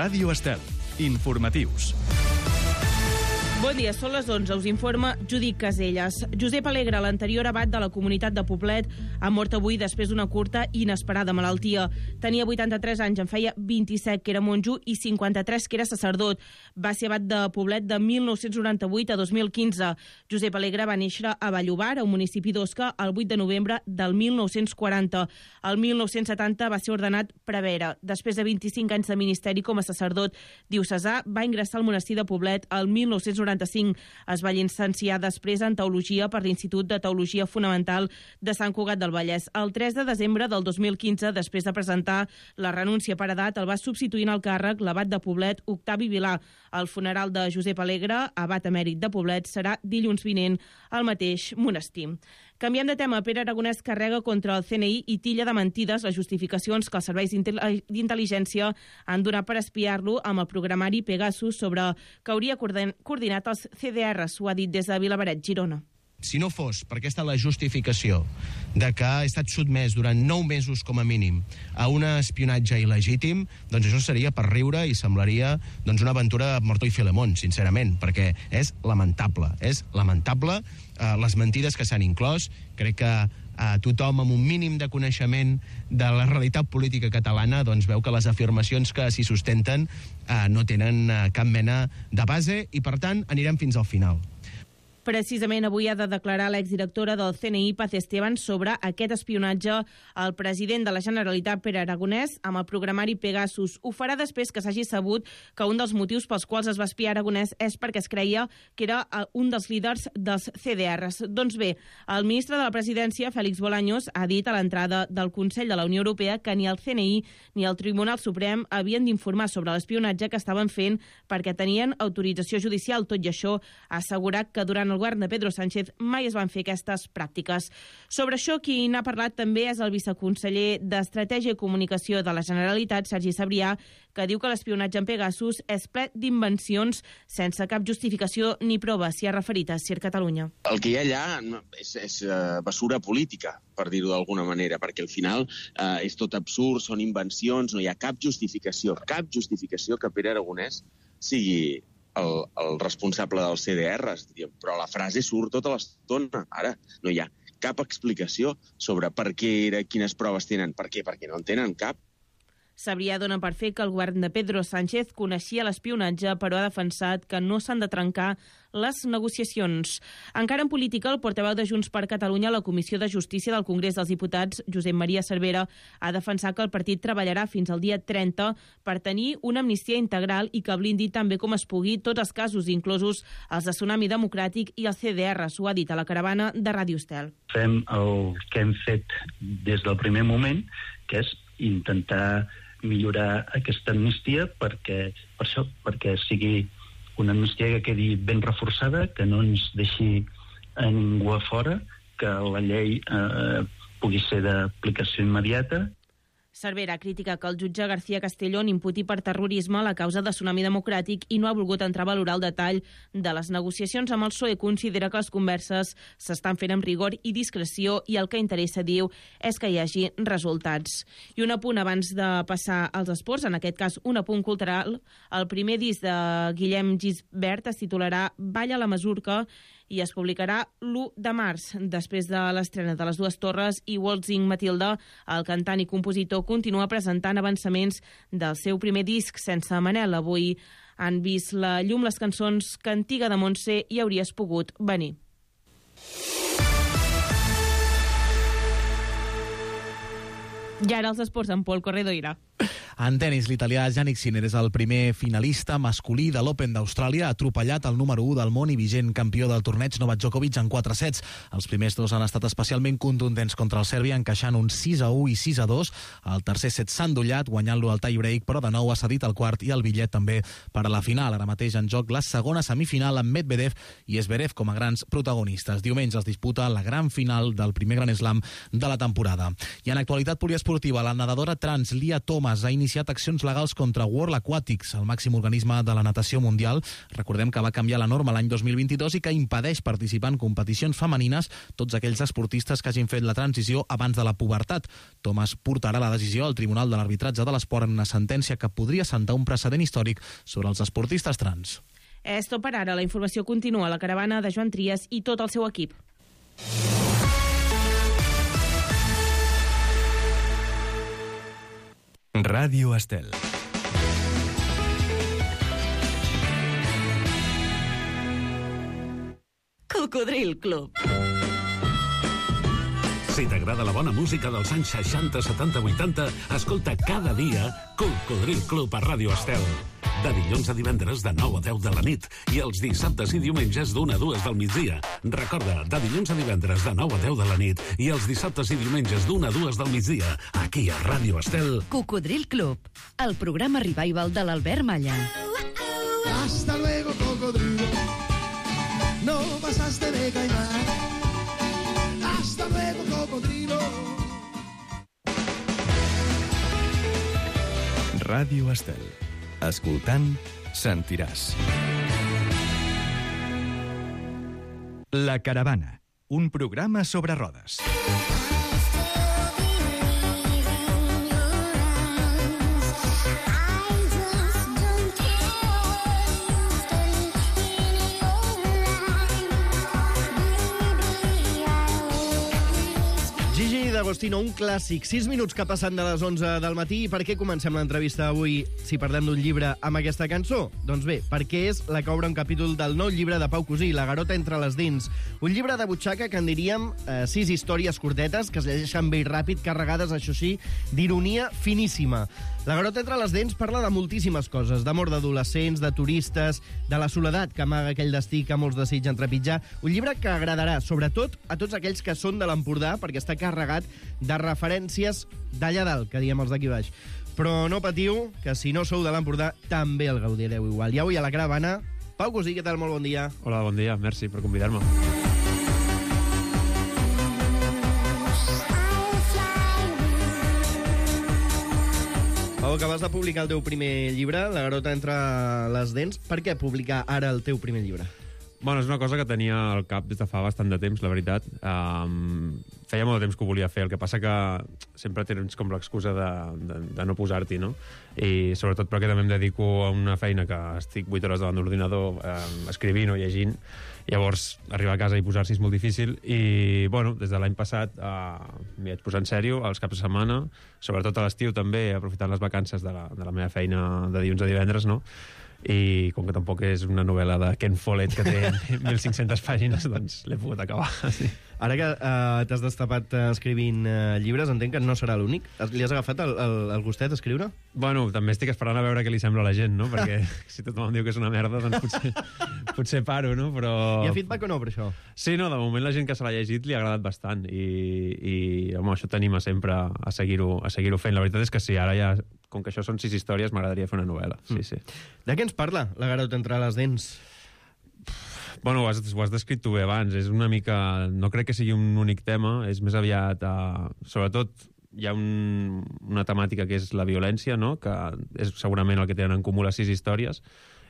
Ràdio Estel. Informatius. Bon dia, són les 11, us informa Judit Caselles. Josep Alegre, l'anterior abat de la comunitat de Poblet, ha mort avui després d'una curta i inesperada malaltia. Tenia 83 anys, en feia 27 que era monjo i 53 que era sacerdot. Va ser abat de Poblet de 1998 a 2015. Josep Alegre va néixer a Vallobar, a un municipi d'Osca, el 8 de novembre del 1940. El 1970 va ser ordenat prevere. Després de 25 anys de ministeri com a sacerdot diocesà, va ingressar al monestir de Poblet el 1995. Es va llicenciar després en Teologia per l'Institut de Teologia Fonamental de Sant Cugat del Vallès. El 3 de desembre del 2015, després de presentar la renúncia per edat, el va substituir en el càrrec l'abat de Poblet, Octavi Vilà. El funeral de Josep Alegre, abat emèrit de Poblet, serà dilluns vinent al mateix monestir. Canviem de tema. Pere Aragonès carrega contra el CNI i tilla de mentides les justificacions que els serveis d'intel·ligència han donat per espiar-lo amb el programari Pegasus sobre que hauria coordinat els CDRs, ho ha dit des de Vilaberret, Girona. Si no fos per aquesta la justificació de que ha estat sotmès durant 9 mesos com a mínim a un espionatge il·legítim, doncs això seria per riure i semblaria una aventura de Mortó i Filemón, sincerament, perquè és lamentable les mentides que s'han inclòs. Crec que tothom amb un mínim de coneixement de la realitat política catalana doncs veu que les afirmacions que s'hi sustenten no tenen cap mena de base i, per tant, anirem fins al final. Precisament avui ha de declarar l'exdirectora del CNI, Paz Esteban, sobre aquest espionatge al president de la Generalitat, Pere Aragonès, amb el programari Pegasus. Ho farà després que s'hagi sabut que un dels motius pels quals es va espiar Aragonès és perquè es creia que era un dels líders dels CDRs. Doncs bé, el ministre de la Presidència, Félix Bolaños, ha dit a l'entrada del Consell de la Unió Europea que ni el CNI ni el Tribunal Suprem havien d'informar sobre l'espionatge que estaven fent perquè tenien autorització judicial. Tot i això, ha assegurat que durant el govern de Pedro Sánchez mai es van fer aquestes pràctiques. Sobre això, qui n'ha parlat també és el viceconseller d'Estratègia i Comunicació de la Generalitat, Sergi Sabrià, que diu que l'espionatge en Pegasus és ple d'invencions sense cap justificació ni prova. S'hi ha referit a Ser Catalunya. El que hi ha allà és basura política, per dir-ho d'alguna manera, perquè al final és tot absurd, són invencions, no hi ha cap justificació que Pere Aragonès sigui el responsable dels CDRs, però la frase surt tota l'estona. Ara no hi ha cap explicació sobre per què era, quines proves tenen. Per què? Perquè no en tenen cap. Sabrià dona per fer que el govern de Pedro Sánchez coneixia l'espionatge, però ha defensat que no s'han de trencar les negociacions. Encara en política, el portaveu de Junts per Catalunya a la Comissió de Justícia del Congrés dels Diputats, Josep Maria Cervera, ha defensat que el partit treballarà fins al dia 30 per tenir una amnistia integral i que blindi també com es pugui tots els casos, inclosos els de Tsunami Democràtic i els CDRs. Ho ha dit a la caravana de Ràdio Estel. Fem el que hem fet des del primer moment, que és intentar millorar aquesta amnistia perquè sigui una amnistia que quedi ben reforçada, que no ens deixi a ningú a fora, que la llei pugui ser d'aplicació immediata. Cervera critica que el jutge García Castellón imputi per terrorisme la causa de Tsunami Democràtic i no ha volgut entrar a valorar el detall de les negociacions amb el PSOE. Considera que les converses s'estan fent amb rigor i discreció i el que interessa, diu, és que hi hagi resultats. I un apunt abans de passar als esports, en aquest cas un apunt cultural. El primer disc de Guillem Gisbert es titularà Balla la Masurca i es publicarà l'1 de març. Després de l'estrena de Les Dues Torres i Waltzing Matilda, el cantant i compositor continua presentant avançaments del seu primer disc sense Manel. Avui han vist la llum les cançons Cantiga de Montse i Hauries pogut venir. I ara els esports amb Pol Corredoira. En tenis, l'italià Jannik Sinner és el primer finalista masculí de l'Open d'Austràlia. Ha atropellat el número 1 del món i vigent campió del torneig Novak Djokovic en 4 sets. Els primers dos han estat especialment contundents contra el Sèrbia, encaixant un 6-1 i 6-2. El tercer set s'ha endollat, guanyant-lo al tie-break, però de nou ha cedit el quart i el bitllet també per a la final. Ara mateix en joc la segona semifinal amb Medvedev i Zverev com a grans protagonistes. Diumenge es disputa la gran final del primer Grand Slam de la temporada. I en actualitat poliesportiva, la nedadora trans Lia Thomas ha iniciat iniciat accions legals contra World Aquatics, el màxim organisme de la natació mundial. Recordem que va canviar la norma l'any 2022 i que impedeix participar en competicions femenines tots aquells esportistes que hagin fet la transició abans de la pubertat. Thomas portarà la decisió al Tribunal de l'Arbitratge de l'Esport en una sentència que podria assentar un precedent històric sobre els esportistes trans. És tot per ara. La informació continua a la caravana de Joan Trias i tot el seu equip. Ràdio Estel. Cocodril Club. Si t'agrada la bona música dels anys 60, 70, 80, escolta cada dia Cocodril Club a Ràdio Estel. De dilluns a divendres de 9 a 10 de la nit i els dissabtes i diumenges d'1 a 2 del migdia. Recorda, de dilluns a divendres de 9 a 10 de la nit i els dissabtes i diumenges d'1 a 2 del migdia, aquí a Ràdio Estel. Cocodril Club, el programa revival de l'Albert Malla. Hasta luego, cocodrilo. No pasaste de caimán. Hasta luego, cocodrilo. Ràdio Estel. Escoltant, sentiràs. La Caravana, un programa sobre rodes. Gigi D'Agostino, un clàssic. 6 minuts que passen de les 11 del matí. I per què comencem l'entrevista avui, si parlem d'un llibre, amb aquesta cançó? Doncs bé, perquè és la que obre un capítol del nou llibre de Pau Cosí, La garota entre les dents. Un llibre de butxaca que en diríem 6 històries curtetes que es llegeixen bé i ràpid, carregades, això sí, d'ironia finíssima. La garota entre les dents parla de moltíssimes coses, d'amor d'adolescents, de turistes, de la soledat que amaga aquell destí que molts desitgen trepitjar. Un llibre que agradarà, sobretot, a tots aquells que són de l'Empordà, perquè està carregat de referències d'allà dalt, que diem els d'aquí baix. Però no patiu, que si no sou de l'Empordà, també el gaudireu igual. I avui a la caravana, Pau Cosí, què tal? Molt bon dia. Hola, bon dia, merci per convidar-me. Pau, acabes de publicar el teu primer llibre, La garota entre les dents. Per què publicar ara el teu primer llibre? Bueno, és una cosa que tenia al cap des de fa bastant de temps, la veritat. Feia molt de temps que ho volia fer, el que passa que sempre tens com l'excusa de no posar-t'hi, no? I sobretot perquè també em dedico a una feina que estic 8 hores davant d'ordinador escrivint o llegint. Llavors, arribar a casa i posar-s'hi és molt difícil. I, bueno, des de l'any passat m'hi vaig posar en sèrio, als caps de setmana, sobretot a l'estiu també, aprofitant les vacances de la meva feina de dilluns a divendres, no? I com que tampoc és una novel·la de Ken Follett que té 1.500 pàgines, doncs l'he pogut acabar. Sí. Ara que t'has destapat escrivint llibres, entenc que no serà l'únic. Li has agafat el gustet a escriure? Bueno, també estic esperant a veure què li sembla a la gent, no? Perquè si tothom em diu que és una merda, doncs potser paro, no? Però... Hi ha feedback o no per això? Sí, no, de moment la gent que se l'ha llegit li ha agradat bastant i home, això t'anima sempre a seguir-ho fent. La veritat és que sí, ara ja, com que això són 6 històries, m'agradaria fer una novel·la. Sí, sí. De què ens parla La garota entre les dents? Bueno, ho has descrit tu bé abans. És una mica... No crec que sigui un únic tema, és més aviat... Sobretot hi ha una temàtica que és la violència, no? Que és segurament el que tenen en comú les 6 històries.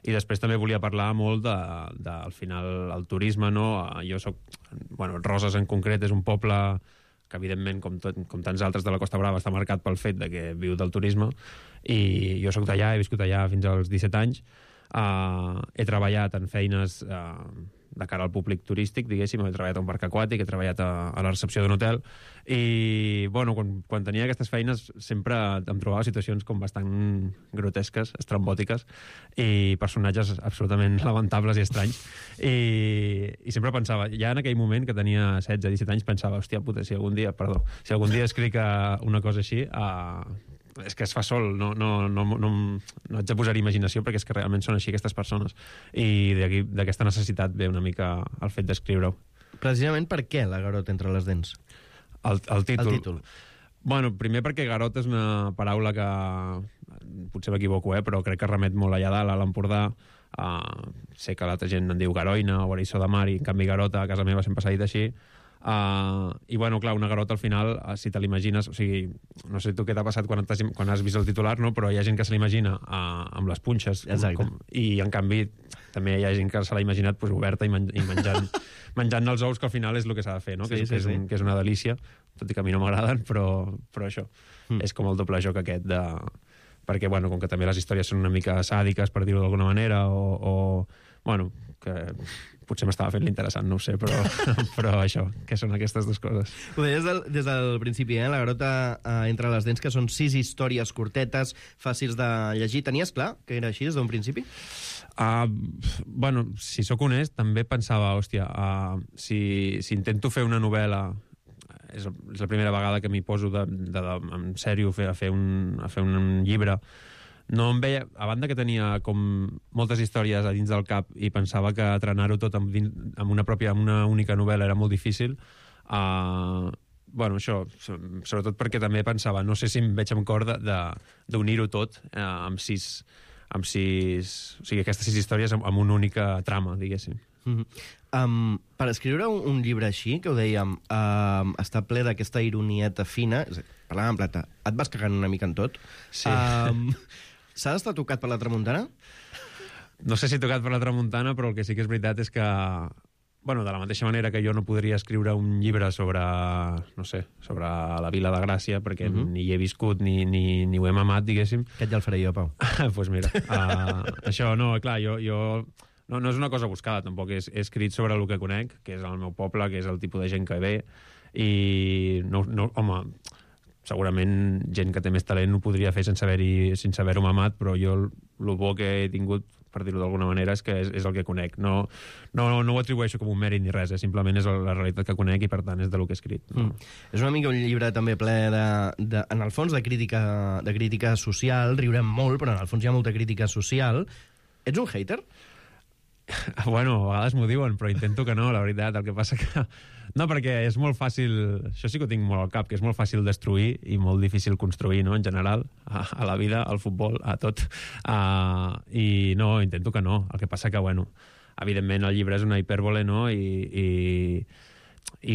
I després també volia parlar molt al final, el turisme, no? Jo soc... Bueno, Roses en concret és un poble que evidentment, com tants altres de la Costa Brava, està marcat pel fet de que viu del turisme, i jo soc d'allà, he viscut allà fins als 17 anys, he treballat en feines de cara al públic turístic, diguéssim, he treballat a un parc aquàtic, he treballat a la recepció d'un hotel, i, bueno, quan tenia aquestes feines sempre em trobava situacions com bastant grotesques, estrambòtiques, i personatges absolutament lamentables i estranys, i sempre pensava, ja en aquell moment que tenia 16-17 anys, pensava, hòstia puta, si algun dia escric una cosa així, és que es fa sol, no haig de posar imaginació perquè és que realment són així aquestes persones, i d'aquesta necessitat ve una mica el fet d'escriure-ho. Precisament per què La garota entre les dents? El títol. Bueno, primer perquè garota és una paraula que potser m'equivoco, però crec que remet molt allà dalt, a l'Empordà. Sé que l'altra gent en diu garoina o eriçó de mar, i en canvi garota a casa meva sempre s'ha dit així. I, bueno, clar, una garota al final, si te l'imagines, o sigui, no sé tu què t'ha passat quan has vist el titular, no? Però hi ha gent que se l'imagina amb les punxes, i en canvi també hi ha gent que se l'ha imaginat pues, oberta i menjant els ous, que al final és el que s'ha de fer, no? Que és una delícia, tot i que a mi no m'agraden, però això és com el doble joc aquest de... Perquè, bueno, com que també les històries són una mica sàdiques, per dir-ho d'alguna manera, o bueno, que potser m'estava fent l'interessant, no ho sé, però això, que són aquestes dues coses. Ho deies des del principi, La garota entre les dents, que són 6 històries curtetes, fàcils de llegir. Tenies clar que era així des d'un principi? Bueno, si sóc honest, també pensava, hòstia, si intento fer una novel·la, és la primera vegada que m'hi poso en sèrio a fer un llibre, no em veia, a banda que tenia com moltes històries a dins del cap i pensava que trenar-ho tot amb una única novel·la era molt difícil, bueno, això, sobretot perquè també pensava, no sé si em veig amb cor d'unir-ho tot amb 6, o sigui, aquestes 6 històries amb una única trama, diguéssim. Per escriure un llibre així, que ho dèiem, està ple d'aquesta ironieta fina, parlant en plata, et vas cagant una mica en tot. Sí. S'ha d'estar tocat per la tramuntana? No sé si tocat per la tramuntana, però el que sí que és veritat és que, bueno, de la mateixa manera que jo no podria escriure un llibre sobre, no sé, sobre la Vila de Gràcia, perquè ni hi he viscut ni ho he mamat, diguéssim. Aquest ja el faré jo, Pau. Doncs pues mira, això, no, clar, jo no és una cosa buscada, tampoc. He escrit sobre el que conec, que és el meu poble, que és el tipus de gent que ve, i no, home, segurament gent que té més talent ho podria fer sense haver-ho mamat, però jo el bo que he tingut, per dir-ho d'alguna manera, és que és el que conec. No ho atribueixo com un mèrit ni res, simplement és la realitat que conec i, per tant, és del que he escrit. És una mica un llibre també ple en el fons, de crítica social. Riurem molt, però en el fons hi ha molta crítica social. Ets un hater? Bueno, a vegades m'ho diuen, però intento que no, la veritat. El que passa que... No, perquè és molt fàcil... Això sí que ho tinc molt al cap, que és molt fàcil destruir i molt difícil construir, no?, en general, a la vida, al futbol, a tot. I no, intento que no. El que passa que, bueno, evidentment el llibre és una hipèrbole, no?, i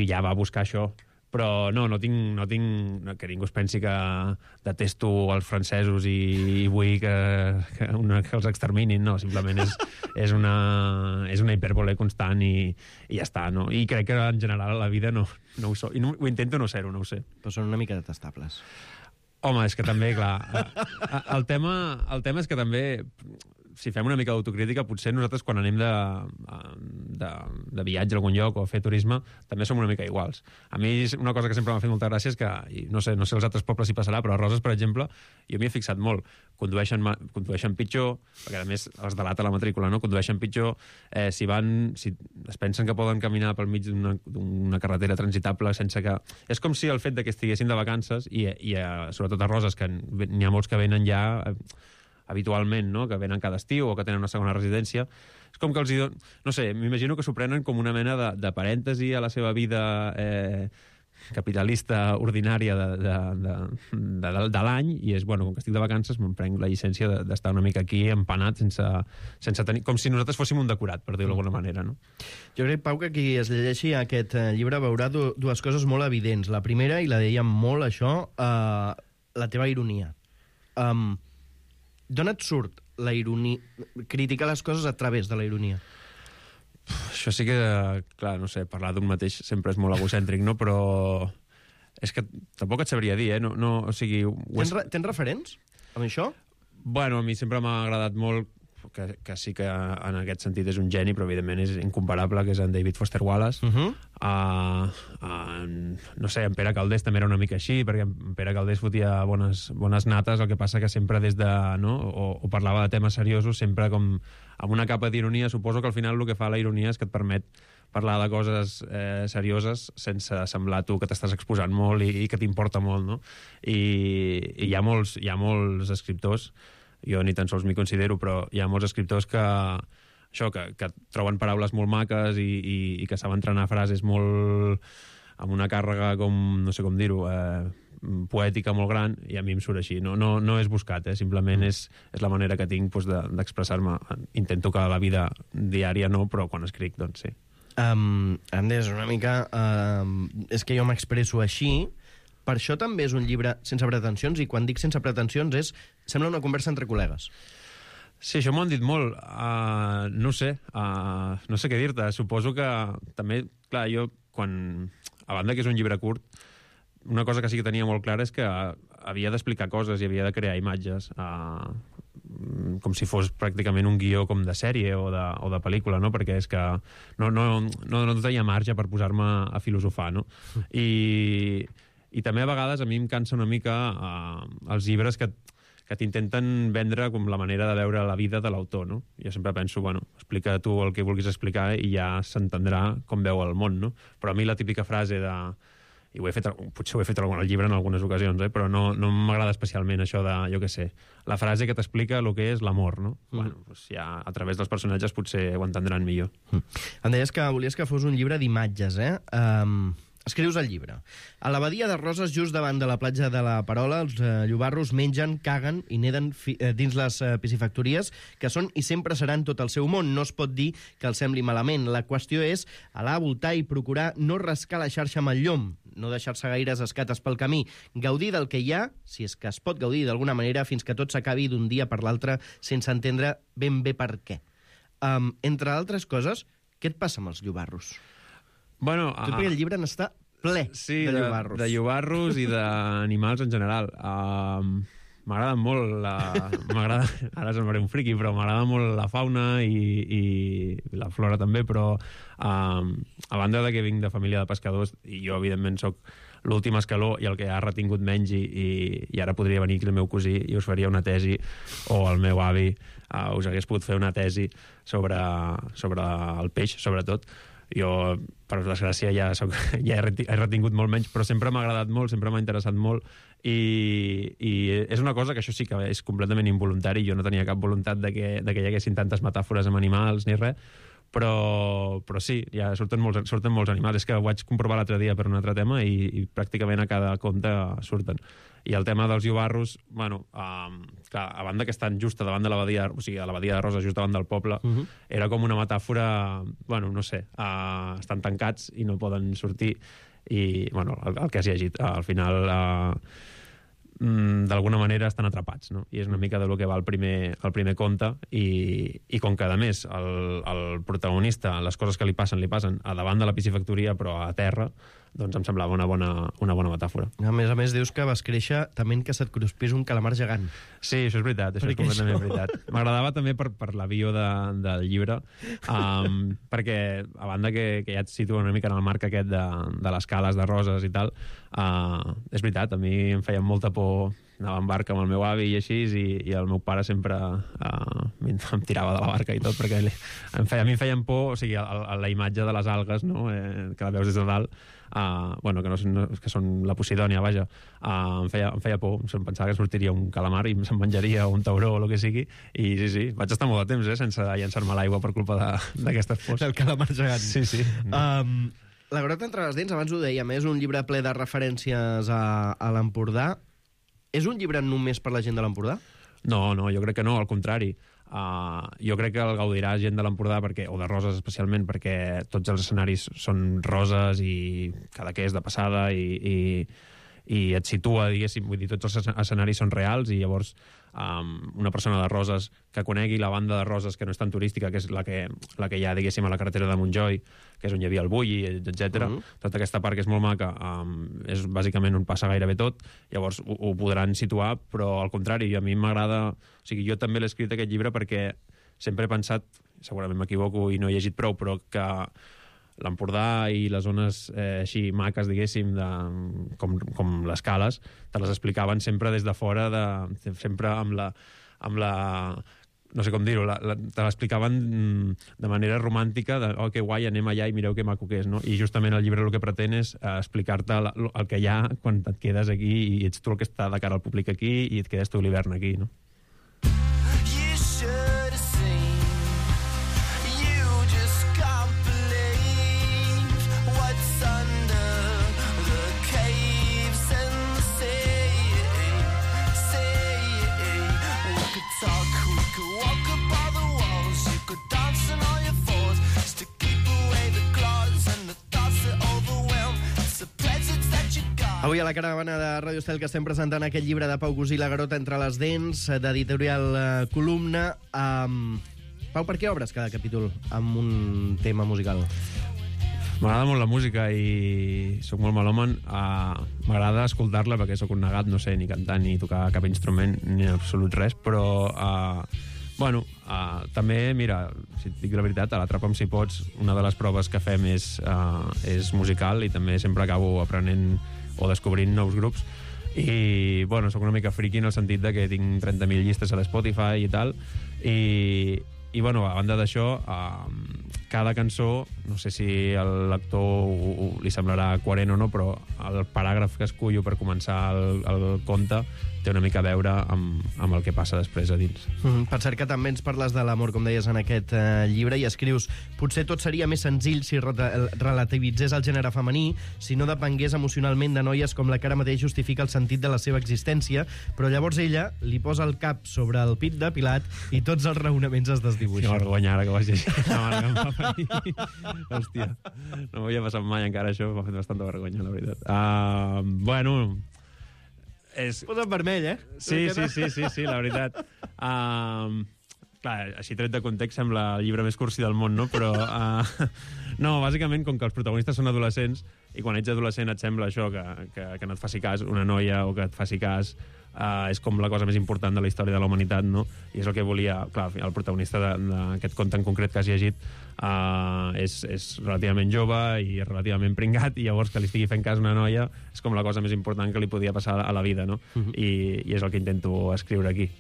ja va buscar això. Però no tinc que ningú es pensi que detesto els francesos i vull que els exterminin, no, simplement és una hipèrbole constant i ja està, no? I crec que en general a la vida no ho soc, i ho intento no ser-ho, no ho sé. Però són una mica detestables. Home, és que també, clar, el tema és que també, si fem una mica d'autocrítica, potser nosaltres quan anem de viatge a algun lloc o a fer turisme, també som una mica iguals. A mi una cosa que sempre m'ha fet molta gràcia és que, no sé als altres pobles si passarà, però a Roses, per exemple, jo m'hi he fixat molt. Condueixen pitjor, perquè a més els delata la matrícula, no? Condueixen pitjor, si es pensen que poden caminar pel mig d'una carretera transitable sense que... És com si el fet que estiguessin de vacances i sobretot a Roses, que n'hi ha molts que venen ja habitualment, no?, que venen cada estiu o que tenen una segona residència, és com que els no sé, m'imagino que s'ho prenen com una mena de parèntesi a la seva vida capitalista ordinària de l'any, i és, bueno, com que estic de vacances me'n prenc la llicència d'estar una mica aquí empanat sense tenir... Com si nosaltres fóssim un decorat, per dir-ho d'alguna manera, no? Jo crec, Pau, que qui es llegeixi aquest llibre veurà dues coses molt evidents. La primera, i la dèiem molt, això, la teva ironia. D'on et surt la ironia? Criticar les coses a través de la ironia. Això sí que, clar, no sé, parlar d'un mateix sempre és molt egocèntric, no? Però és que tampoc et sabria dir, No, o sigui... Tens referents amb això? Bueno, a mi sempre m'ha agradat molt, que sí que en aquest sentit és un geni, però evidentment és incomparable, que és en David Foster Wallace. No sé, en Pere Caldés també era una mica així, perquè en Pere Caldés fotia bones nates, el que passa que sempre des de... No? O parlava de temes seriosos, sempre com amb una capa d'ironia. Suposo que al final el que fa la ironia és que et permet parlar de coses serioses sense semblar tu que t'estàs exposant molt i que t'importa molt, no? I hi ha molts escriptors, jo ni tan sols m'hi considero, però hi ha molts escriptors que troben paraules molt maques i que saben trenar frases molt amb una càrrega, com no sé com dir-ho, poètica molt gran, i a mi em surt així. No és buscat, simplement és la manera que tinc d'expressar-me. Intento que a la vida diària no, però quan escric, doncs sí. Andes, una mica... és que jo m'expresso així. Per això també és un llibre sense pretensions, i quan dic sense pretensions sembla una conversa entre col·legues. Sí, això m'ho han dit molt. No sé què dir-te. Suposo que també, clar, jo, a banda que és un llibre curt, una cosa que sí que tenia molt clara és que havia d'explicar coses i havia de crear imatges, com si fos pràcticament un guió com de sèrie o de pel·lícula, no? Perquè és que no tenia marge per posar-me a filosofar, no? I també a vegades a mi em cansa una mica els llibres que t'intenten vendre com la manera de veure la vida de l'autor, no? Jo sempre penso, bueno, explica tu el que vulguis explicar i ja s'entendrà com veu el món, no? Però a mi la típica frase de... I potser ho he fet al llibre en algunes ocasions, però no m'agrada especialment això de, jo què sé, la frase que t'explica el que és l'amor, no? Bueno, doncs ja a través dels personatges potser ho entendran millor. Em deies que volies que fos un llibre d'imatges, eh? Escrius el llibre. A la badia de Roses, just davant de la platja de la Parola, els llobarros mengen, caguen i neden dins les piscifactories, que són i sempre seran tot el seu món. No es pot dir que els sembli malament. La qüestió és anar a voltar i procurar no rascar la xarxa amb el llom, no deixar-se gaires escates pel camí, gaudir del que hi ha, si és que es pot gaudir d'alguna manera, fins que tot s'acabi d'un dia per l'altre sense entendre ben bé per què. Entre altres coses, què et passa amb els llobarros? Bueno, perquè el llibre n'està ple de llobarros. De llobarros i d'animals en general. M'agrada molt ara semblaré un friqui, però m'agrada molt la fauna i la flora també, però a banda de que vinc de família de pescadors, i jo evidentment sóc l'últim escaló i el que ha retingut menys, i ara podria venir aquí el meu cosí i us faria una tesi, o el meu avi us hagués pogut fer una tesi sobre el peix, sobretot. Jo, per desgràcia, ja he retingut molt menys, però sempre m'ha agradat molt, sempre m'ha interessat molt, i és una cosa que això sí que és completament involuntari. Jo no tenia cap voluntat de que hi haguessin tantes metàfores amb animals ni res, però sí, ja surten molts animals. És que ho vaig comprovar l'altre dia per un altre tema i pràcticament a cada conte surten. I el tema dels llobarros, bueno, clar, a banda que estan just davant de la badia, o sigui, a la badia de Roses, just davant del poble, era com una metàfora, bueno, no sé, estan tancats i no poden sortir, i, bueno, el que has llegit, al final, d'alguna manera estan atrapats, no? I és una mica de lo que va el primer conte, i com que, a més, el protagonista, les coses que li passen a davant de la piscifactoria, però a terra, doncs em semblava una bona metàfora. A més, dius que vas créixer tement que se't cruspís un calamar gegant. Sí, això és veritat, això és completament veritat. M'agradava també per la bio del llibre, perquè, a banda que ja et situa una mica en el marc aquest de les cales de Roses i tal, és veritat, a mi em feia molta por anava en barca amb el meu avi i així, i el meu pare sempre em tirava de la barca i tot, perquè a mi em feien por, o sigui, la imatge de les algues, no? Que la veus des de dalt, bueno, que són la Posidònia, vaja, em feia por, em pensava que sortiria un calamar i se'n menjaria un tauró o el que sigui, i sí, vaig estar molt de temps sense llançar-me a l'aigua per culpa d'aquestes pors. El calamar gegant. Sí. La Grota entre les dents, abans ho dèiem, és un llibre ple de referències a l'Empordà. És un llibre només per la gent de l'Empordà? No, jo crec que no, al contrari. Jo crec que el gaudirà gent de l'Empordà, o de Roses especialment, perquè tots els escenaris són roses i Cadaqués de passada, i et situa, diguéssim, vull dir, tots els escenaris són reals, i llavors una persona de Roses que conegui la banda de Roses, que no és tan turística, que és la que hi ha, diguéssim, a la carretera de Montjoi, que és on hi havia el Bulli, etc. Tota aquesta part, que és molt maca, és bàsicament on passa gairebé tot, llavors ho podran situar, però al contrari, a mi m'agrada... O sigui, jo també l'he escrit aquest llibre perquè sempre he pensat, segurament m'equivoco i no he llegit prou, però que l'Empordà i les zones així maques, diguéssim, com les cales, te les explicaven sempre des de fora, sempre amb la no sé com dir-ho, te l'explicaven de manera romàntica, oh, que guai, anem allà i mireu que maco que és, no? I justament el llibre el que pretén és explicar-te el que hi ha quan et quedes aquí i ets tu el que està de cara al públic aquí i et quedes tu l'hivern aquí, no? Dancing on your fours to keep away the clock. Avui a la caravana de Ràdio Estel que estem presentant aquest llibre de Pau Gusí, La garota entre les dents, d'editorial Columna. Pau, per què obres cada capítol amb un tema musical? M'agrada molt la música i sóc molt melòman. M'agrada escoltar-la perquè sóc un negat, no sé ni cantar ni tocar cap instrument, ni en absolut res, però també, mira, si et dic la veritat, a l'Atrapa'm si pots, una de les proves que fem és musical i també sempre acabo aprenent o descobrint nous grups. I, sóc una mica friki en el sentit de que tinc 30.000 llistes a l'Spotify i tal, i a banda d'això, cada cançó, no sé si a l'actor li semblarà coherent o no, però el paràgraf que escullo per començar el conte té una mica a veure amb el que passa després a dins. Per cert que també ens parles de l'amor, com deies en aquest llibre, i escrius: potser tot seria més senzill si relativitzés el gènere femení, si no depengués emocionalment de noies com la que ara mateix justifica el sentit de la seva existència, però llavors ella li posa el cap sobre el pit depilat i tots els raonaments es desdibuixen. Que vergonya, ara que ho has llegit. Hòstia, no m'havia passat mai encara això, m'ha fet bastanta vergonya, la veritat. Posa en vermell, eh? Sí, la veritat. Clar, així tret de context sembla el llibre més cursi del món, no? Però, bàsicament, com que els protagonistes són adolescents, i quan ets adolescent et sembla això, que no et faci cas una noia o que et faci cas és com la cosa més important de la història de la humanitat, no? I és el que volia... Clar, el protagonista d'aquest conte en concret que has llegit és relativament jove i relativament pringat, i llavors que li estigui fent cas una noia és com la cosa més important que li podia passar a la vida, no? I és el que intento escriure aquí.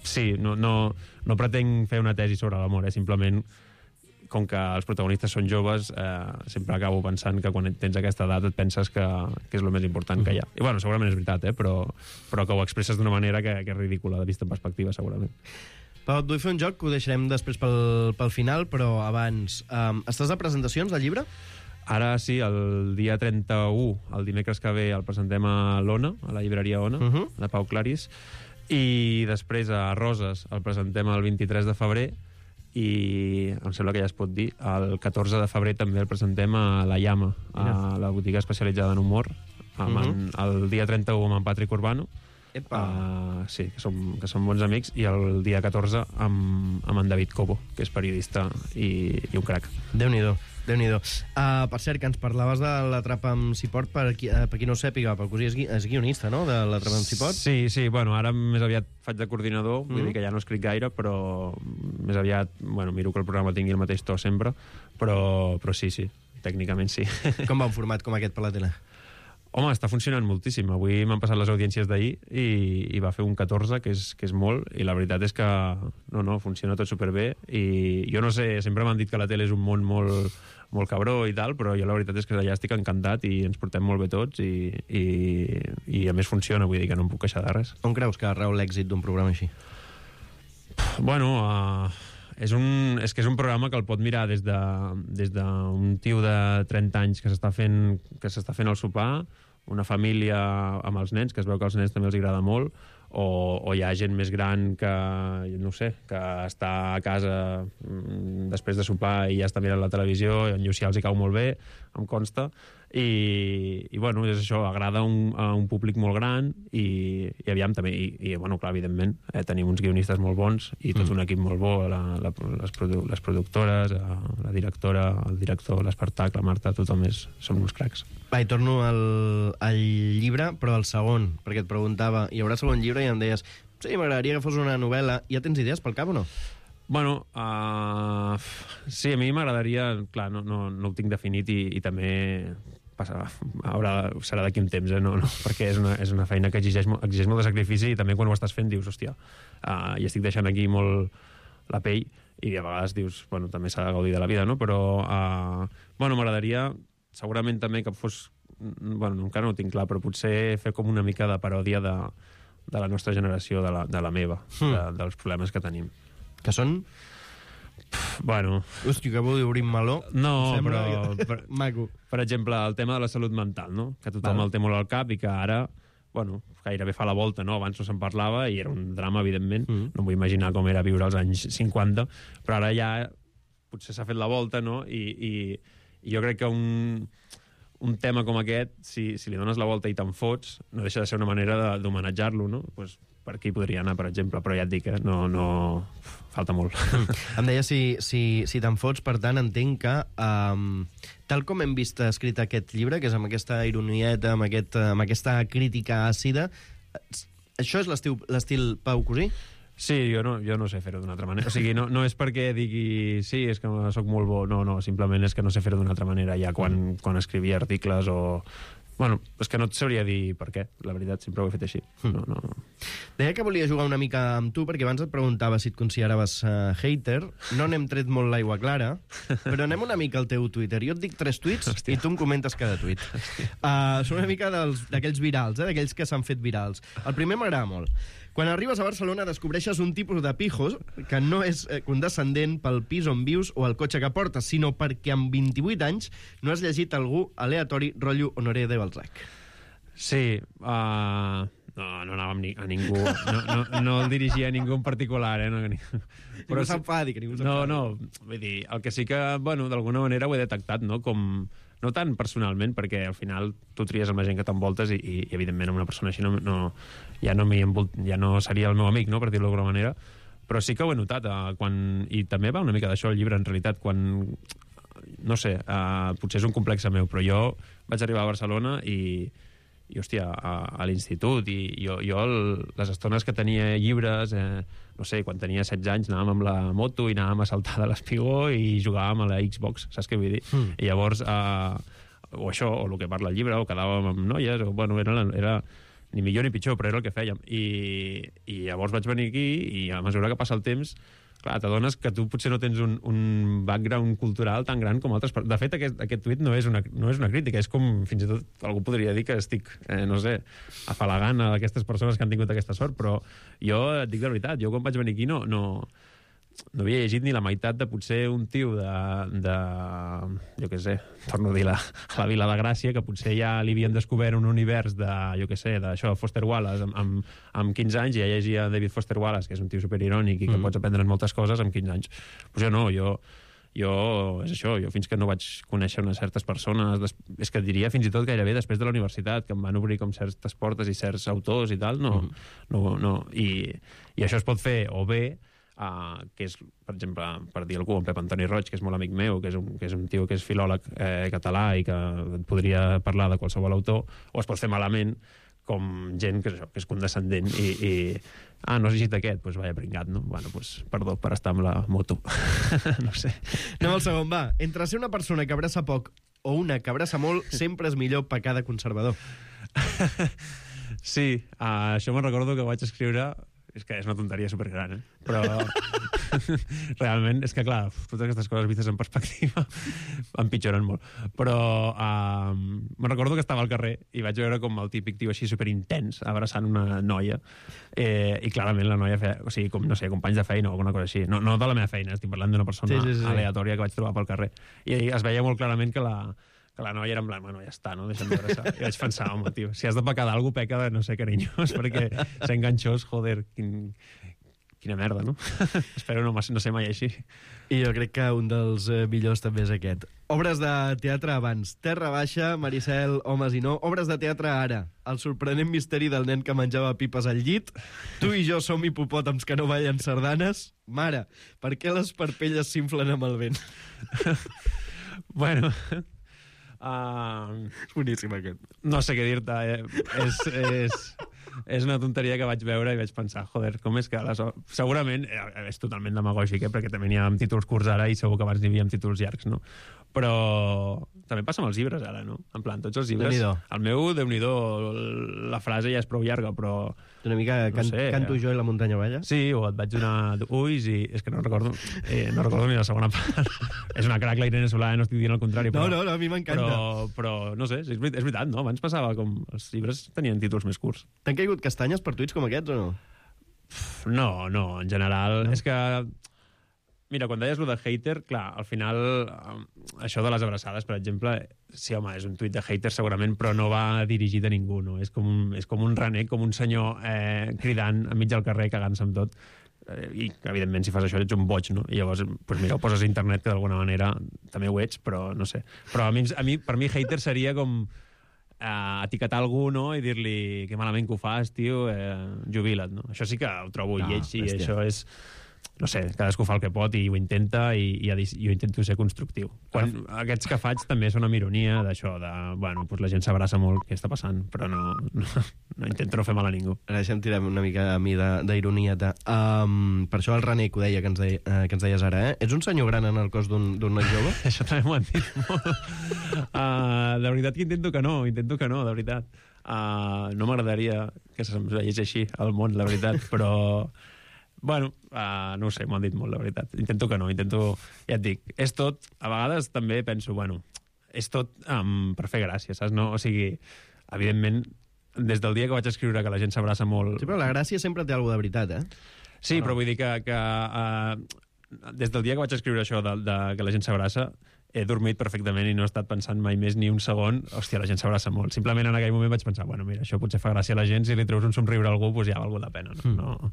Sí, no pretenc fer una tesi sobre l'amor, simplement com que els protagonistes són joves, sempre acabo pensant que quan tens aquesta edat et penses que és el més important que hi ha. I segurament és veritat, però que ho expresses d'una manera que és ridícula, vista en perspectiva, segurament. Pau, et vull fer un joc que ho deixarem després pel final, però abans... Estàs de presentacions del llibre? Ara sí, el dia 31, el dimecres que ve, el presentem a l'Ona, a la llibreria Ona, de Pau Clarís, i després a Roses el presentem el 23 de febrer, i em sembla que ja es pot dir, el 14 de febrer també el presentem a La Llama, a la botiga especialitzada en humor, el dia 31 amb en Patrick Urbano, sí, que som bons amics, i el dia 14 amb en David Cobo, que és periodista i un crac. Déu-n'hi-do. Per cert, que ens parlaves de l'Atrapa'm si pot, per qui no ho sàpiga, Pau Gusí és guionista, no?, de l'Atrapa'm si pot? Sí, ara més aviat faig de coordinador, vull dir que ja no escric gaire, però més aviat, miro que el programa tingui el mateix to sempre, però sí, tècnicament sí. Com va un format com aquest per la tele? Home, està funcionant moltíssim. Avui m'han passat les audiències d'ahir i va fer un 14, que és molt, i la veritat és que funciona tot superbé, i jo no sé, sempre m'han dit que la tele és un món molt cabró i tal, però jo la veritat és que allà estic encantat i ens portem molt bé tots i a més funciona, vull dir que no em puc queixar de res. On creus que rau l'èxit d'un programa així? És que és un programa que el pot mirar des d'un tio de 30 anys que s'està fent el sopar, una família amb els nens, que es veu que als nens també els agrada molt, o hi ha gent més gran que, no sé, que està a casa després de sopar i ja està mirant la televisió, i en Llucià els hi cau molt bé, em consta, i és això, agrada a un públic molt gran, i aviam també, clar, evidentment, tenim uns guionistes molt bons i tot un equip molt bo, les productores, la directora, el director, l'espectacle, Marta, tothom som uns cracs. Va, i torno al llibre, però al segon, perquè et preguntava, hi haurà segon llibre, i em deies, sí, m'agradaria que fos una novel·la. Ja tens idees pel cap o no? Sí, a mi m'agradaria, clar, no ho tinc definit, i també serà d'aquí un temps, perquè és una feina que exigeix molt de sacrifici, i també quan ho estàs fent dius, hòstia, i estic deixant aquí molt la pell, i a vegades dius, també s'ha de gaudir de la vida, no? Però m'agradaria segurament també que fos, encara no ho tinc clar, però potser fer com una mica de paròdia de la nostra generació, de la meva, dels problemes que tenim. Que són? Hòstia, que vol dir obrir meló. No, però... Maco. Per exemple, el tema de la salut mental, no? Que tothom el té molt al cap i que ara, gairebé fa la volta, no? Abans no se'n parlava i era un drama, evidentment. No em vull imaginar com era viure als anys 50, però ara ja potser s'ha fet la volta, no? I jo crec que un tema com aquest, si li dones la volta i te'n fots, no deixa de ser una manera d'homenatjar-lo, no? Pues, per aquí podria anar, per exemple, però ja et dic, no falta molt. Em deia si te'n fots, per tant, entenc que, tal com hem vist escrit aquest llibre, que és amb aquesta ironieta, amb aquesta crítica àcida, això és l'estil Pau Cosí? Sí, jo no sé fer-ho d'una altra manera. O sigui, no és perquè digui sí, és que sóc molt bo, no, simplement és que no sé fer-ho d'una altra manera. Ja quan escrivia articles o... Bueno, és que no et sabria dir per què, la veritat, sempre ho he fet així. No. Deia que volia jugar una mica amb tu, perquè abans et preguntava si et consideraves hater. No n'hem tret molt l'aigua clara, però anem una mica al teu Twitter. Jo et dic 3 tuits i tu em comentes cada tuit. Són una mica d'aquells virals, d'aquells que s'han fet virals. El primer m'agrada molt. Quan arribes a Barcelona descobreixes un tipus de pijos que no és condescendent pel pis on vius o el cotxe que portes, sinó perquè amb 28 anys no has llegit algú aleatori rotllo Honoré de Balzac. Sí, no anava a ningú, no el dirigia a ningú en particular, Però s'enfadi, que ningú s'enfadi. No, vull dir, el que sí que, bueno, d'alguna manera ho he detectat, no? Com, no tant personalment, perquè al final tu tries amb la gent que t'envoltes i evidentment amb una persona així ja no seria el meu amic, no? Per dir-ho d'alguna manera, però sí que ho he notat, i també va una mica d'això el llibre, en realitat, quan, no sé, potser és un complexe meu, però jo vaig arribar a Barcelona i hòstia, a l'institut, i jo les estones que tenia llibres, no sé, quan tenia 16 anys anàvem amb la moto i anàvem a saltar de l'espigó i jugàvem a la Xbox, saps què vull dir? I llavors, o això, o el que parla el llibre, o quedàvem amb noies, o bueno, era ni millor ni pitjor, però era el que fèiem. I llavors vaig venir aquí i a mesura que passa el temps, clar, t'adones que tu potser no tens un background cultural tan gran com altres. De fet, aquest tuit no és una crítica, és com, fins i tot, algú podria dir que estic, no sé, afalagant a aquestes persones que han tingut aquesta sort, però jo et dic la veritat, jo quan vaig venir aquí no havia llegit ni la meitat de potser un tio jo què sé, torno a dir la Vila de Gràcia, que potser ja li havien descobert un univers de, jo què sé, d'això, Foster Wallace, amb 15 anys, ja llegia David Foster Wallace, que és un tio superirònic i que pots aprendre moltes coses amb 15 anys. Pues jo no, jo és això, jo fins que no vaig conèixer unes certes persones, és que diria fins i tot gairebé després de la universitat, que em van obrir com certes portes i certs autors i tal, i això es pot fer o bé, que és, per exemple, per dir algú, en Pep Antoni Roig, que és molt amic meu, que és un tio que és filòleg català i que et podria parlar de qualsevol autor, o es pot fer malament, com gent que és condescendent i no has llegit aquest, doncs vaya pringat, no? Bueno, doncs perdó per estar amb la moto. No sé. Anem al segon, va. Entre ser una persona que abraça poc o una que abraça molt, sempre és millor pecar de conservador. Sí, això me'n recordo que vaig escriure. És que és una tonteria supergran, però realment és que, clar, totes aquestes coses vistes en perspectiva empitjoren molt. Però me'n recordo que estava al carrer i vaig veure com el típic tio així superintens abraçant una noia i clarament la noia feia, o sigui, com, no sé, companys de feina o alguna cosa així. No de la meva feina, estic parlant d'una persona aleatòria que vaig trobar pel carrer. I es veia molt clarament que la noia era en blanc, bueno, ja està, no? Deixa'm d'abraçar. I vaig pensar, home, tio, si has de pecar d'algú, peca de, no sé, carinyós, perquè ser enganxós, joder, quina merda, no? Espero no ser mai així. I jo crec que un dels millors també és aquest. Obres de teatre abans. Terra Baixa, Maricel, Homes i no. Obres de teatre ara. El sorprenent misteri del nen que menjava pipes al llit. Tu i jo som hipopòtams que no ballen sardanes. Mare, per què les parpelles s'inflen amb el vent? Bueno... és boníssim aquest. No sé què dir-te, és una tonteria que vaig veure i vaig pensar, joder, com és que segurament és totalment demagògic, perquè també n'hi ha amb títols curts ara i segur que abans n'hi havia amb títols llargs, no? Però també passa amb els llibres ara, no? En plan, tots els llibres... El meu, Déu-n'hi-do, la frase ja és prou llarga, però... Una mica canto jo i la muntanya balla? Sí, o et vaig donar ulls i... És que no recordo ni la segona part. És una crac, la Irene Solà, no estic dient el contrari. Però, no, a mi m'encanta. Però no sé, és veritat, no? Abans passava com... Els llibres tenien títols més curts. T'han caigut castanyes per tuits com aquests o no? No, en general. No. És que... Mira, quan deies lo de hater, clar, al final, això de les abraçades, per exemple, sí, home, és un tuit de hater segurament, però no va dirigit a ningú, no? És com un renec, com un senyor cridant enmig del carrer, cagant-se amb tot. i evidentment si fas això ets un boig, no? I llavors, doncs mira, ho poses a internet, que d'alguna manera també ho ets, però no sé. Però per mi hater seria com etiquetar algú, no?, i dir-li que malament que ho fas, tio, jubila't, no? Això sí que ho trobo lleig, i això és... No sé, cadascú fa el que pot i ho intenta, i jo intento ser constructiu. Aquests que faig també són amb ironia d'això, bueno, doncs la gent s'abraça molt, què està passant, però no intento no fer mal a ningú. Ara deixa'm tirar una mica a mi d'ironieta. Per això el René, que ho deia, que ens deies ara, Ets un senyor gran en el cos d'un noi jove? Això també m'ho han dit molt. De veritat que intento que no, de veritat. No m'agradaria que se'm veiés així al món, la veritat, però... Bueno, no ho sé, m'ho han dit molt, la veritat. Intento que no, ja et dic, és tot, a vegades també penso, bueno, és tot per fer gràcia, saps? No? O sigui, evidentment, des del dia que vaig escriure que la gent s'abraça molt... Sí, però la gràcia sempre té alguna de veritat, Sí, però vull dir que des del dia que vaig escriure això de que la gent s'abraça, he dormit perfectament i no he estat pensant mai més ni un segon, hòstia, la gent s'abraça molt. Simplement en aquell moment vaig pensar, bueno, mira, això potser fa gràcia a la gent, si li treus un somriure a algú, doncs ja ha valgut la pena, no?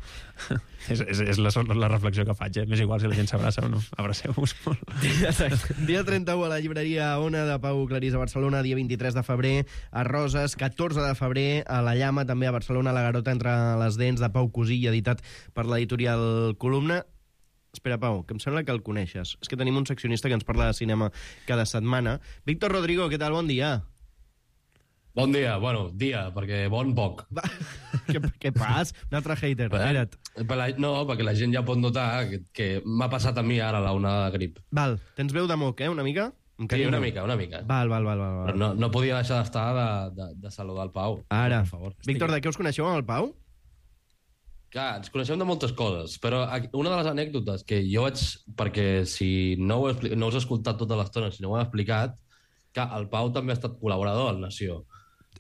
És la reflexió que faig, M'és igual si la gent s'abraça o no. Abraceu-vos molt. Dia 31 a la llibreria Ona de Pau Clarís a Barcelona, dia 23 de febrer a Roses, 14 de febrer a La Llama, també a Barcelona, La Garota entre les dents, de Pau Cosí, editat per l'editorial Columna. Espera, Pau, que em sembla que el coneixes. És que tenim un seccionista que ens parla de cinema cada setmana. Víctor Rodrigo, què tal? Bon dia. Bon dia, bueno, perquè bon poc. Què pas? Un altre hater, espera't. No, perquè la gent ja pot notar que m'ha passat a mi ara la onada de grip. Val, tens veu de moc, una mica? Sí, una mica. Val. Però no podia deixar d'estar de saludar el Pau. Ara. Per favor. Víctor, de què us coneixeu amb el Pau? Clar, ens coneixem de moltes coses, però una de les anècdotes que jo vaig... Perquè si no us he escoltat tota l'estona, si no ho he explicat, que el Pau també ha estat col·laborador al Nació.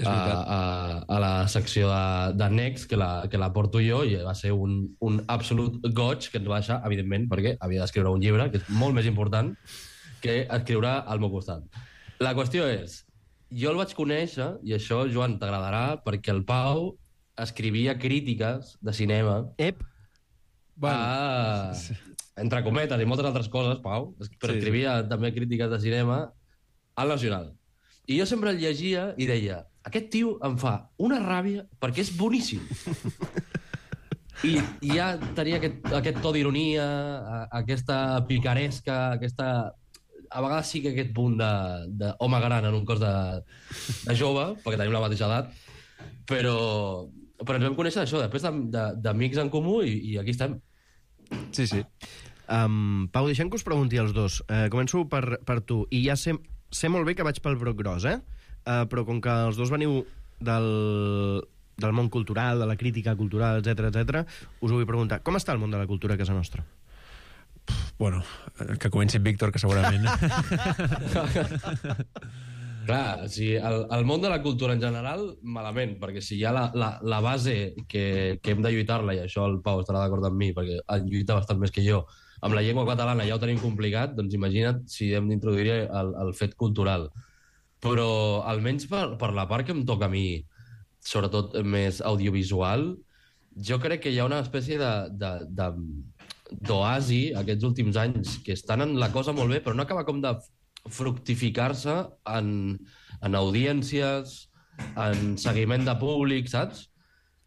A la secció de Next, que la porto jo, i va ser un absolut goig que ens va deixar, evidentment, perquè havia d'escriure un llibre, que és molt més important que escriure al meu costat. La qüestió és, jo el vaig conèixer, i això, Joan, t'agradarà, perquè el Pau escrivia crítiques de cinema entre cometes i moltes altres coses, Pau, però escrivia també crítiques de cinema al Nacional. I jo sempre el llegia i deia, aquest tio em fa una ràbia perquè és boníssim. I ja tenia aquest to d'ironia, aquesta picaresca, a vegades sí que aquest punt d'home gran en un cos de jove, perquè tenim la mateixa edat, però ens vam conèixer això, després d'amics en comú, i aquí estem. Sí. Pau, deixem que us pregunti als dos. Començo per tu. I ja sé molt bé que vaig pel broc gros, però com que els dos veniu del món cultural, de la crítica cultural, etc, us ho vull preguntar. Com està el món de la cultura a casa nostra? Bueno, que comenci Víctor, que segurament... Clar, el món de la cultura en general, malament, perquè si hi ha la base que hem de lluitar-la, i això el Pau estarà d'acord amb mi, perquè en lluita bastant més que jo, amb la llengua catalana ja ho tenim complicat, doncs imagina't si hem d'introduir el fet cultural. Però almenys per la part que em toca a mi, sobretot més audiovisual, jo crec que hi ha una espècie d'oasi aquests últims anys, que estan en la cosa molt bé, però no acaba com de fructificar-se en audiències, en seguiment de públic, saps?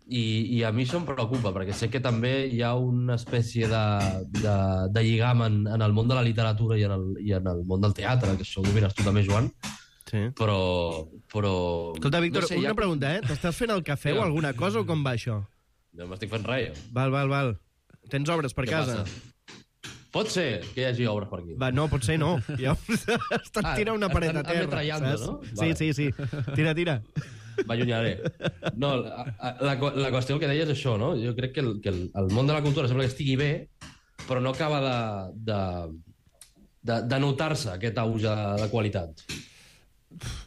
I a mi això em preocupa, perquè sé que també hi ha una espècie de lligam en el món de la literatura i en el món del teatre, que això ho domines tu també, Joan. Sí. Però... Escolta, Víctor, no sé, una pregunta, T'estàs fent el cafè o alguna cosa o com va això? No m'estic fent res. Val. Tens obres per casa? Pot ser que hi hagi obres per aquí. Va, no, pot ser no. Ja estan tirant una paret a terra. No? Sí. Tira. M'allunyaré. No, la qüestió que deies és això, no? Jo crec que el món de la cultura sembla que estigui bé, però no acaba de notar-se aquest auge de qualitat.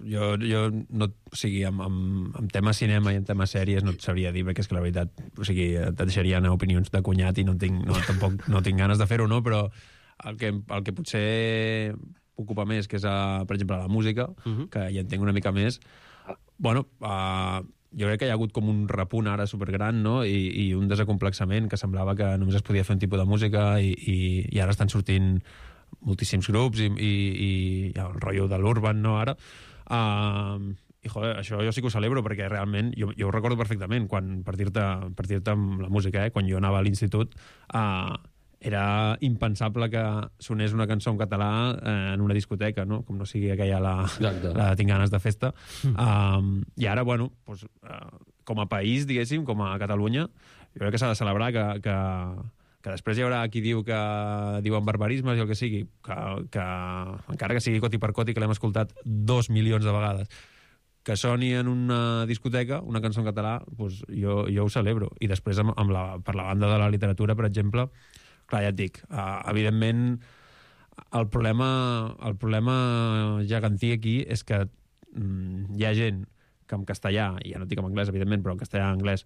Jo no, o sigui, amb tema cinema i en tema sèries no et sabria dir, perquè és que la veritat, o sigui, et deixaria anar opinions de cunyat i tampoc no tinc ganes de fer-ho, no? Però el que potser ocupa més, que és, per exemple, la música, que ja entenc una mica més, bueno, jo crec que hi ha hagut com un repunt ara supergran, no? I un desacomplexament que semblava que només es podia fer un tipus de música i ara estan sortint moltíssims grups i hi ha el rotllo de l'urban, no, ara? I, joder, això jo sí que ho celebro, perquè realment, jo ho recordo perfectament, quan, per dir-te amb la música, quan jo anava a l'institut, era impensable que sonés una cançó en català en una discoteca, no? Com no sigui aquella la Tinc ganes de festa. I ara, bueno, doncs, com a país, diguéssim, com a Catalunya, jo crec que s'ha de celebrar que després hi haurà qui diu que diuen barbarismes i el que sigui, que encara que sigui coti per coti, que l'hem escoltat 2 milions de vegades, que soni en una discoteca una cançó en català, doncs jo ho celebro. I després, per la banda de la literatura, per exemple, clar, ja et dic, evidentment el problema gegantí aquí és que hi ha gent que en castellà, i ja no dic en anglès, evidentment, però en castellà i anglès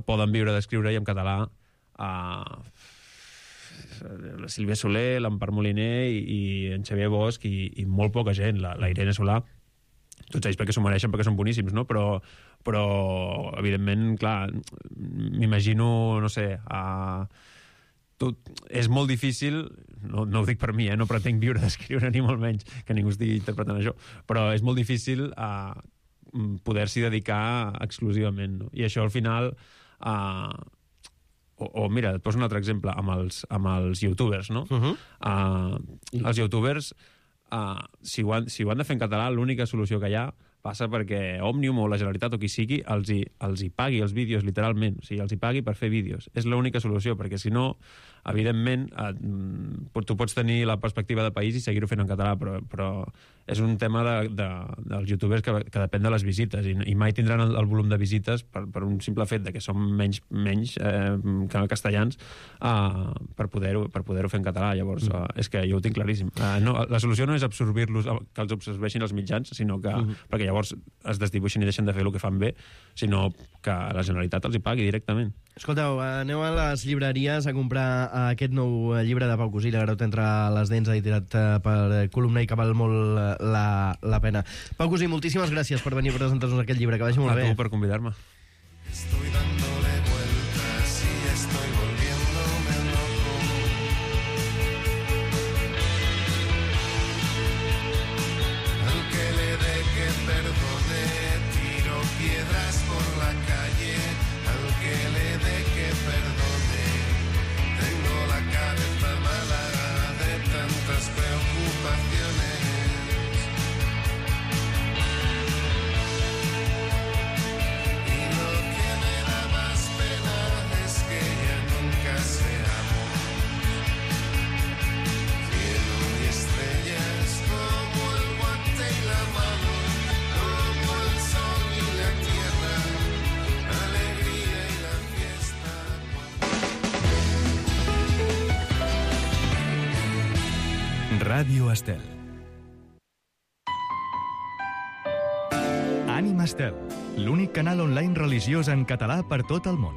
poden viure d'escriure, i en català la Sílvia Soler, l'Empar Moliner i en Xavier Bosch i molt poca gent, la Irene Solà, tots ells perquè s'ho mereixen, perquè són boníssims, no? Però evidentment, clar, m'imagino, no sé, és molt difícil, no ho dic per mi, no pretenc viure d'escriure ni molt menys, que ningú estigui interpretant això, però és molt difícil poder-s'hi dedicar exclusivament, no? I això al final mira, et poso un altre exemple amb els youtubers, no? Els youtubers, si ho han de fer en català, l'única solució que hi ha passa perquè Òmnium o la Generalitat o qui sigui els hi pagui els vídeos, literalment. O sigui, els hi pagui per fer vídeos. És l'única solució, perquè si no, evidentment, tu pots tenir la perspectiva de país i seguir-ho fent en català, però és un tema dels youtubers que depèn de les visites, i mai tindran el volum de visites per un simple fet de que són menys que castellans per poder-ho fer en català. Llavors, és que jo ho tinc claríssim. La solució no és absorbir-los, que els absorbeixin els mitjans, sinó que perquè llavors es desdibuixin i deixen de fer el que fan bé, sinó que la Generalitat els hi pagui directament. Escolteu, aneu a les llibreries a comprar aquest nou llibre de Pau Cusí, La Garota entre les dents, editat per Columna, i que val molt la pena. Pau Cusí, moltíssimes gràcies per venir a presentar-nos aquest llibre, que vagi molt bé. A tu per convidar-me. Estoy dándole vueltas y estoy volviéndome loco. Al que le dé que perdone, tiro piedras por la calle. Al que le dé que perdone, tengo la cabeza mala de tantas preocupaciones. Ràdio Estel. Ànima Estel, l'únic canal online religiós en català per tot el món.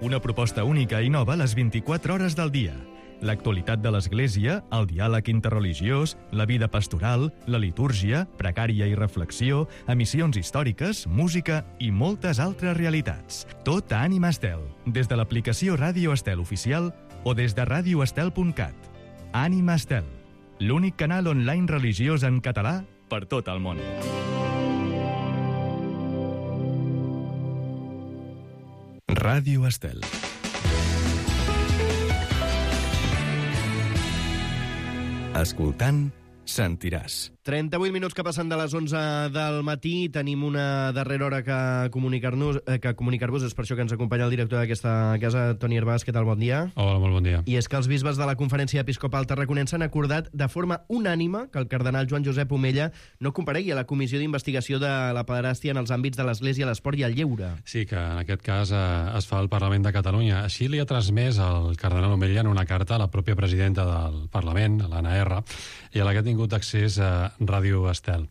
Una proposta única i nova a les 24 hores del dia. L'actualitat de l'Església, el diàleg interreligiós, la vida pastoral, la litúrgia, precària i reflexió, emissions històriques, música i moltes altres realitats. Tot a Ànima Estel, des de l'aplicació Ràdio Estel oficial o des de radioestel.cat. Ànima Estel, l'únic canal online religiós en català per tot el món. Ràdio Estel. Escoltant, sentiràs. 38 minuts que passen de les 11 del matí. Tenim una darrera hora que comunicar-vos. És per això que ens acompanya el director d'aquesta casa, Toni Hervàs. Què tal? Bon dia. Hola, molt bon dia. I és que els bisbes de la Conferència Episcopal Tarraconense han acordat de forma unànime que el cardenal Joan Josep Omella no comparegui a la comissió d'investigació de la pederàstia en els àmbits de l'Església, l'esport i el lleure. Sí, que en aquest cas es fa al Parlament de Catalunya. Així li ha transmès el cardenal Omella en una carta a la pròpia presidenta del Parlament, l'Anna R., i a la que ha tingut accés a Ràdio Estel.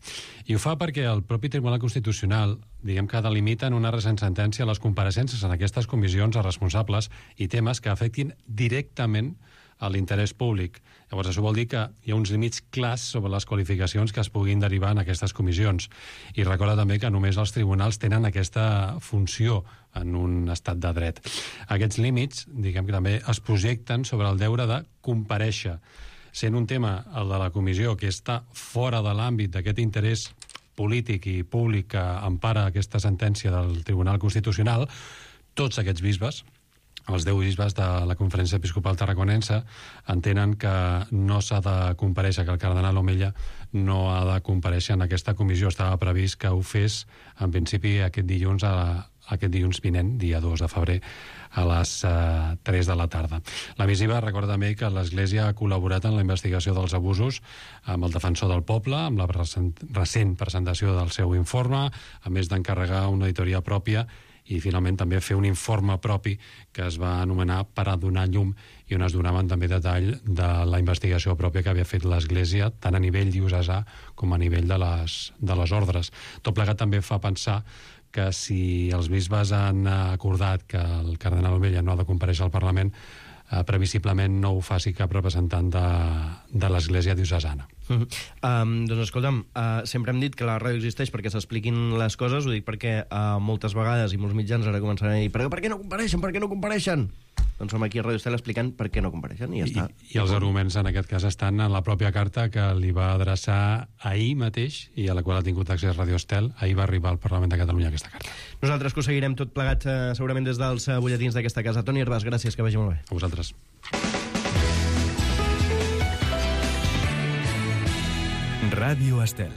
I ho fa perquè el propi Tribunal Constitucional, diguem que delimita en una recent sentència les compareixences en aquestes comissions a responsables i temes que afectin directament a l'interès públic. Llavors, això vol dir que hi ha uns límits clars sobre les qualificacions que es puguin derivar en aquestes comissions. I recorda també que només els tribunals tenen aquesta funció en un estat de dret. Aquests límits, diguem que també es projecten sobre el deure de comparèixer, sent un tema, el de la comissió, que està fora de l'àmbit d'aquest interès polític i públic que empara aquesta sentència del Tribunal Constitucional. Tots aquests bisbes, els 10 bisbes de la Conferència Episcopal Tarraconense, entenen que no s'ha de comparèixer, que el cardenal Omella no ha de comparèixer en aquesta comissió. Estava previst que ho fes, en principi, aquest dilluns vinent, dia 2 de febrer, a les 3 de la tarda. La missiva recorda també que l'Església ha col·laborat en la investigació dels abusos amb el Defensor del Poble, amb la recent presentació del seu informe, a més d'encarregar una auditoria pròpia i finalment també fer un informe propi que es va anomenar Per a donar llum, i on es donaven també detall de la investigació pròpia que havia fet l'Església, tant a nivell diocesà com a nivell de les ordres. Tot plegat també fa pensar que si els bisbes han acordat que el cardenal Omella no ha de comparèixer al Parlament, previsiblement no ho faci cap representant de l'Església diocesana. Doncs escolta'm, sempre hem dit que la ràdio existeix perquè s'expliquin les coses, ho dic perquè moltes vegades i molts mitjans ara començaran a dir per què no compareixen, per què no compareixen? Doncs som aquí a Ràdio Estel explicant per què no compareixen i ja està. I els arguments en aquest cas estan en la pròpia carta que li va adreçar ahir mateix i a la qual ha tingut accés Ràdio Estel. Ahir va arribar al Parlament de Catalunya aquesta carta. Nosaltres que ho seguirem tot plegat segurament des dels butlletins d'aquesta casa. Toni Herbàs, gràcies, que vagi molt bé. A vosaltres. Ràdio Estel.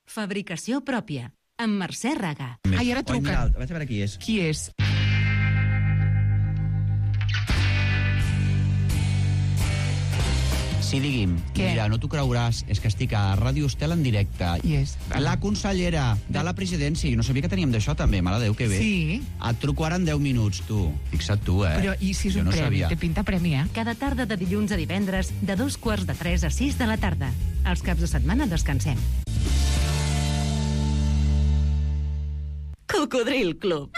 Fabricació pròpia, amb Mercè Raga. Ai, ara truquen. Vaig a veure qui és. Qui és? Sí, digui'm. Què? Mira, no t'ho creuràs, és que estic a Ràdio Estel en directe. Qui és? La consellera de la presidència. Jo no sabia que teníem d'això, també. Mare de Déu, que bé. Sí. Et truco ara en 10 minuts, tu. Fixa't tu, Però i si és un premi? Té pinta premi, Cada tarda de dilluns a divendres, de 2:45 a 6 de la tarda. Els caps de setmana descansem. Cocodril Club.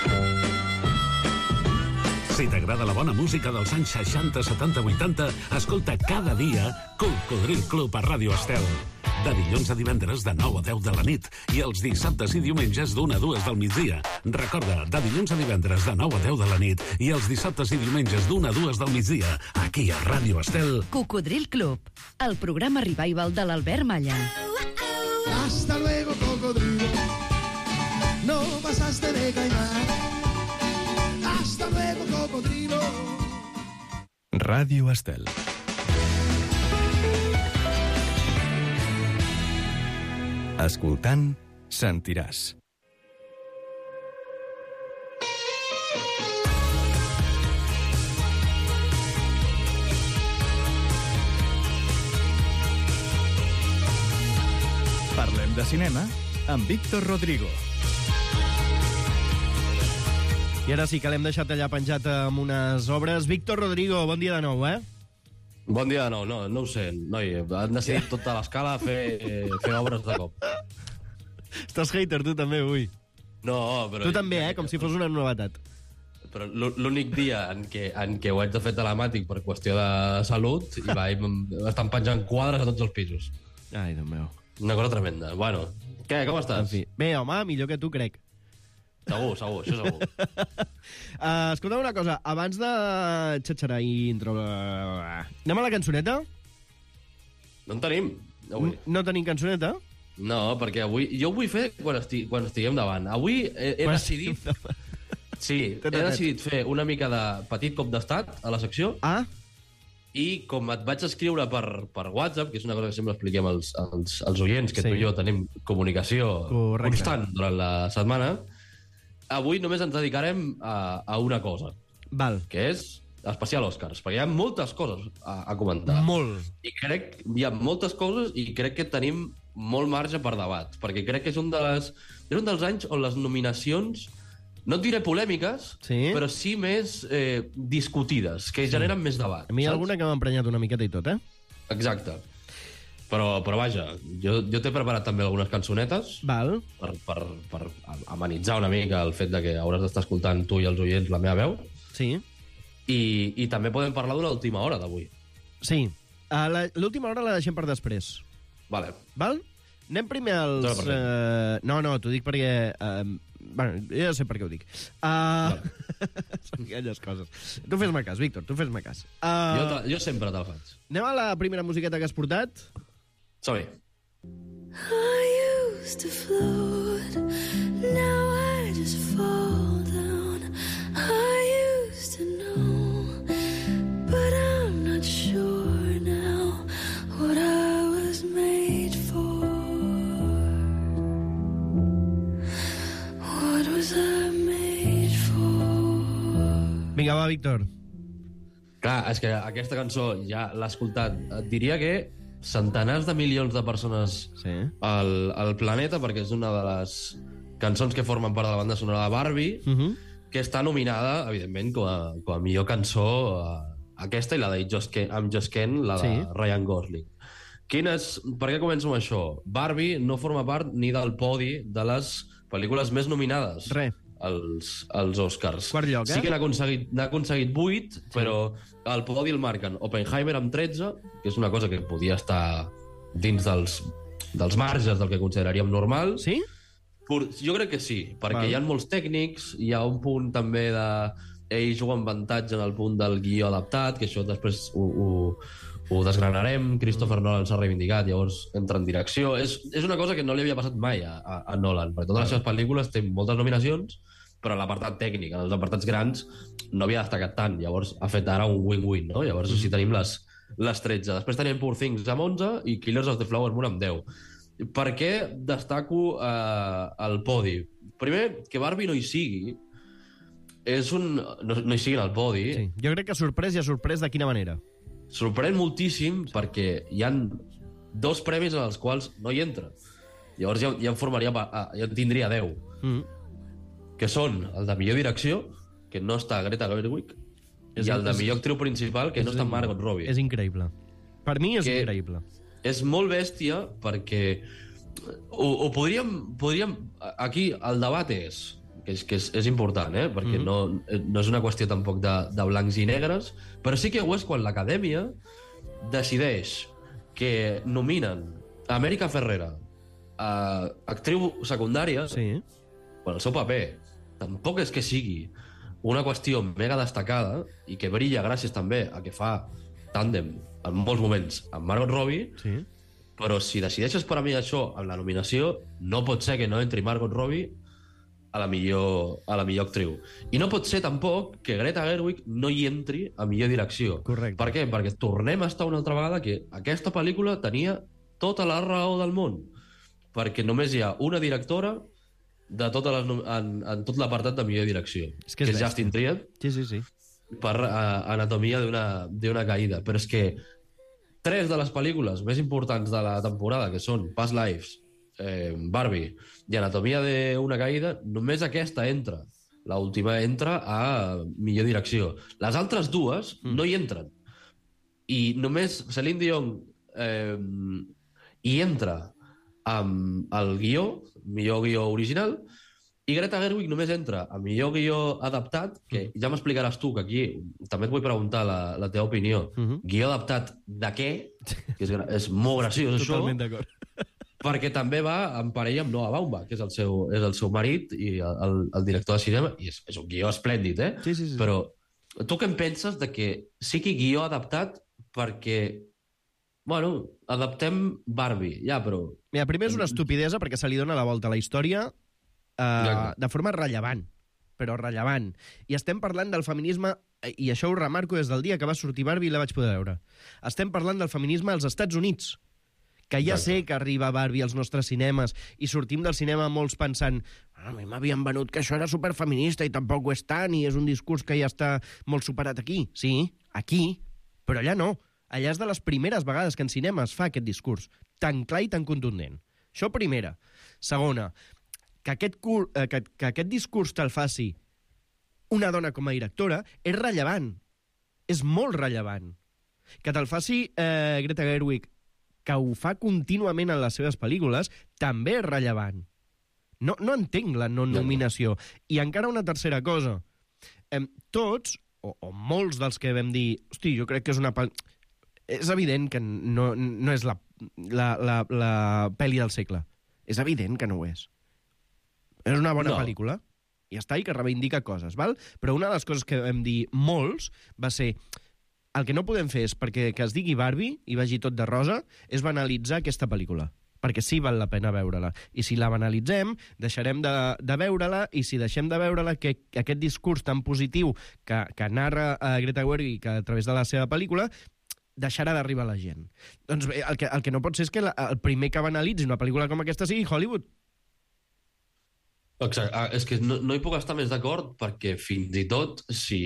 Si t'agrada la bona música dels anys 60, 70, 80, escolta cada dia Cocodril Club a Ràdio Estel. De dilluns a divendres de 9 a 10 de la nit i els dissabtes i diumenges d'1 a 2 del migdia. Recorda, de dilluns a divendres de 9 a 10 de la nit i els dissabtes i diumenges d'1 a 2 del migdia, aquí a Ràdio Estel. Cocodril Club, el programa revival de l'Albert Malla. Hasta luego, cocodrilo. No pasaste de caimán. Hasta luego, cocodrilo. Ràdio Estel. Escoltant, sentiràs. Parlem de cinema amb Víctor Rodrigo. I ara sí que l'hem deixat allà penjat amb unes obres. Víctor Rodrigo, bon dia de nou, Bon dia de nou. No ho sé, noi. Han decidit tota l'escala fer obres de cop. Estàs hater, tu també, avui. No, però... Tu també, com si fos una novetat. Però l'únic dia en què ho haig de fer telemàtic per qüestió de salut i estan penjant quadres a tots els pisos. Ai, Déu meu. Una cosa tremenda. Bueno, què, com estàs? En fi. Bé, home, millor que tu, crec. Segur, això segur. Escolta'm una cosa, abans de xatxarar i intro... Anem a la cançoneta? No en tenim, avui. No tenim cançoneta? No, perquè avui... Jo ho vull fer quan estiguem davant. Avui he decidit... Sí, he decidit fer una mica de petit cop d'estat a la secció. I com et vaig escriure per WhatsApp, que és una cosa que sempre expliquem als oients, que tu i jo tenim comunicació constant durant la setmana, avui només ens dedicarem a una cosa. Val. Que és especial Oscars, perquè hi ha moltes coses a comentar. Molt. I crec hi ha moltes coses i crec que tenim molt marge per debat, perquè crec que és un dels anys on les nominacions, no et diré polèmiques, però sí més discutides, que generen més debat. A mi hi ha alguna que m'ha emprenyat una miqueta i tot, Exacte. Però vaja, jo t'he preparat també algunes cançonetes. Val. Per amenitzar una mica el fet de que hauràs d'estar escoltant tu i els oients la meva veu. Sí. I també podem parlar d'una última hora d'avui. Sí. L'última hora la deixem per després. Vale. Val? Anem primer als... No, t'ho dic perquè... Bueno, jo ja sé per què ho dic. Són aquelles coses. Tu fes-me cas, Víctor, tu fes-me cas. Jo sempre te'l faig. Anem a la primera musiqueta que has portat? Som-hi. I used to float, now I just fall down. I used to know, but I'm not sure now what I was made for. What was I made for? Vinga, va, Víctor. Clar, és que aquesta cançó ja l'he escoltat. Et diria que centenars de milions de persones al planeta, perquè és una de les cançons que formen part de la banda sonora de Barbie, que està nominada, evidentment, com a millor cançó aquesta i la de I'm Just Ken, la de Ryan Gosling. Per què començo amb això? Barbie no forma part ni del podi de les pel·lícules més nominades als Oscars. Quart lloc, Sí que n'ha aconseguit 8, però al podi el marquen Oppenheimer amb 13, que és una cosa que podia estar dins dels marges del que consideraríem normal. Sí? Jo crec que sí, perquè hi ha molts tècnics, hi ha un punt també de... Ell juga amb avantatge en el punt del guió adaptat, que això després ho desgranarem. Christopher Nolan s'ha reivindicat, llavors entra en direcció. És una cosa que no li havia passat mai a Nolan, perquè totes les seves pel·lícules tenen moltes nominacions, però a l'apartat tècnic, en els apartats grans, no havia destacat tant. Llavors ha fet ara un win-win, no? Llavors així tenim les 13. Després tenim Poor Things amb 11 i Killers of the Flower Moon amb 10. Per què destaco el podi? Primer, que Barbie no hi sigui, no hi sigui en el podi. Sí. Jo crec que sorprès i ha sorprès de quina manera? Sorprèn moltíssim perquè hi han 2 premis en els quals no hi entra. Llavors ja en tindria 10. Que són el de millor direcció, que no està Greta Gerwig, i el de millor actriu principal, que no està Margot Robbie. És increïble. Per mi és increïble. És molt bèstia perquè ho podríem... Aquí el debat que és important, perquè no és una qüestió tampoc de blancs i negres, però sí que ho és quan l'Acadèmia decideix que nominen Amèrica Ferrera a actriu secundària, el seu paper tampoc és que sigui una qüestió mega destacada i que brilla gràcies també a que fa tàndem en molts moments amb Margot Robbie, però si decideixes per a mi això en la nominació, no pot ser que no entri Margot Robbie a la millor actriu. I no pot ser tampoc que Greta Gerwig no hi entri a millor direcció. Correcte. Per què? Perquè tornem a estar una altra vegada que aquesta pel·lícula tenia tota la raó del món, perquè només hi ha una directora en tot l'apartat de millor direcció, que és Justin Triet, per Anatomia d'una caïda. Però és que 3 de les pel·lícules més importants de la temporada, que són Past Lives, Barbie i Anatomia d'una caïda, només aquesta entra. L'última entra a millor direcció. Les altres 2 no hi entren. I només Celine Dion hi entra amb el guió, millor guió original, i Greta Gerwig només entra a millor guió adaptat, que ja m'explicaràs tu, que aquí també et vull preguntar la teva opinió. Guió adaptat de què? Que és molt graciós, això. Totalment d'acord. Perquè també va en parella amb Noah Baumbach, que és el seu marit i el director de cinema, i és un guió esplèndid, Sí. Però tu què en penses de que sigui guió adaptat perquè, bueno, adaptem Barbie, però... Mira, primer és una estupidesa perquè se li dona la volta a la història de forma rellevant, però rellevant. I estem parlant del feminisme, i això ho remarco des del dia que va sortir Barbie i la vaig poder veure. Estem parlant del feminisme als Estats Units, que ja sé que arriba Barbie als nostres cinemes i sortim del cinema molts pensant a mi m'havien venut que això era superfeminista i tampoc ho és tant i és un discurs que ja està molt superat aquí. Sí, aquí, però allà no. Allà és de les primeres vegades que en cinema es fa aquest discurs, tan clar i tan contundent. Això primera. Segona, que aquest discurs te'l faci una dona com a directora és rellevant. És molt rellevant. Que te'l faci Greta Gerwig, que ho fa contínuament en les seves pel·lícules, també és rellevant. No entenc la no-nominació. I encara una tercera cosa. Tots, o molts dels que vam dir, hosti, jo crec que és una... És evident que no és la pel·li del segle. És evident que no ho és. És una bona pel·lícula, i està, i que reivindica coses, val? Però una de les coses que vam dir molts va ser... El que no podem fer és perquè que es digui Barbie i vagi tot de rosa, és banalitzar aquesta pel·lícula. Perquè sí val la pena veure-la. I si la banalitzem, deixarem de veure-la, i si deixem de veure-la, que aquest discurs tan positiu que narra Greta Gerwig a través de la seva pel·lícula deixarà d'arribar a la gent. Doncs bé, el que no pot ser és que el primer que banalitzi una pel·lícula com aquesta sigui Hollywood. Exacte. És que no hi puc estar més d'acord, perquè fins i tot si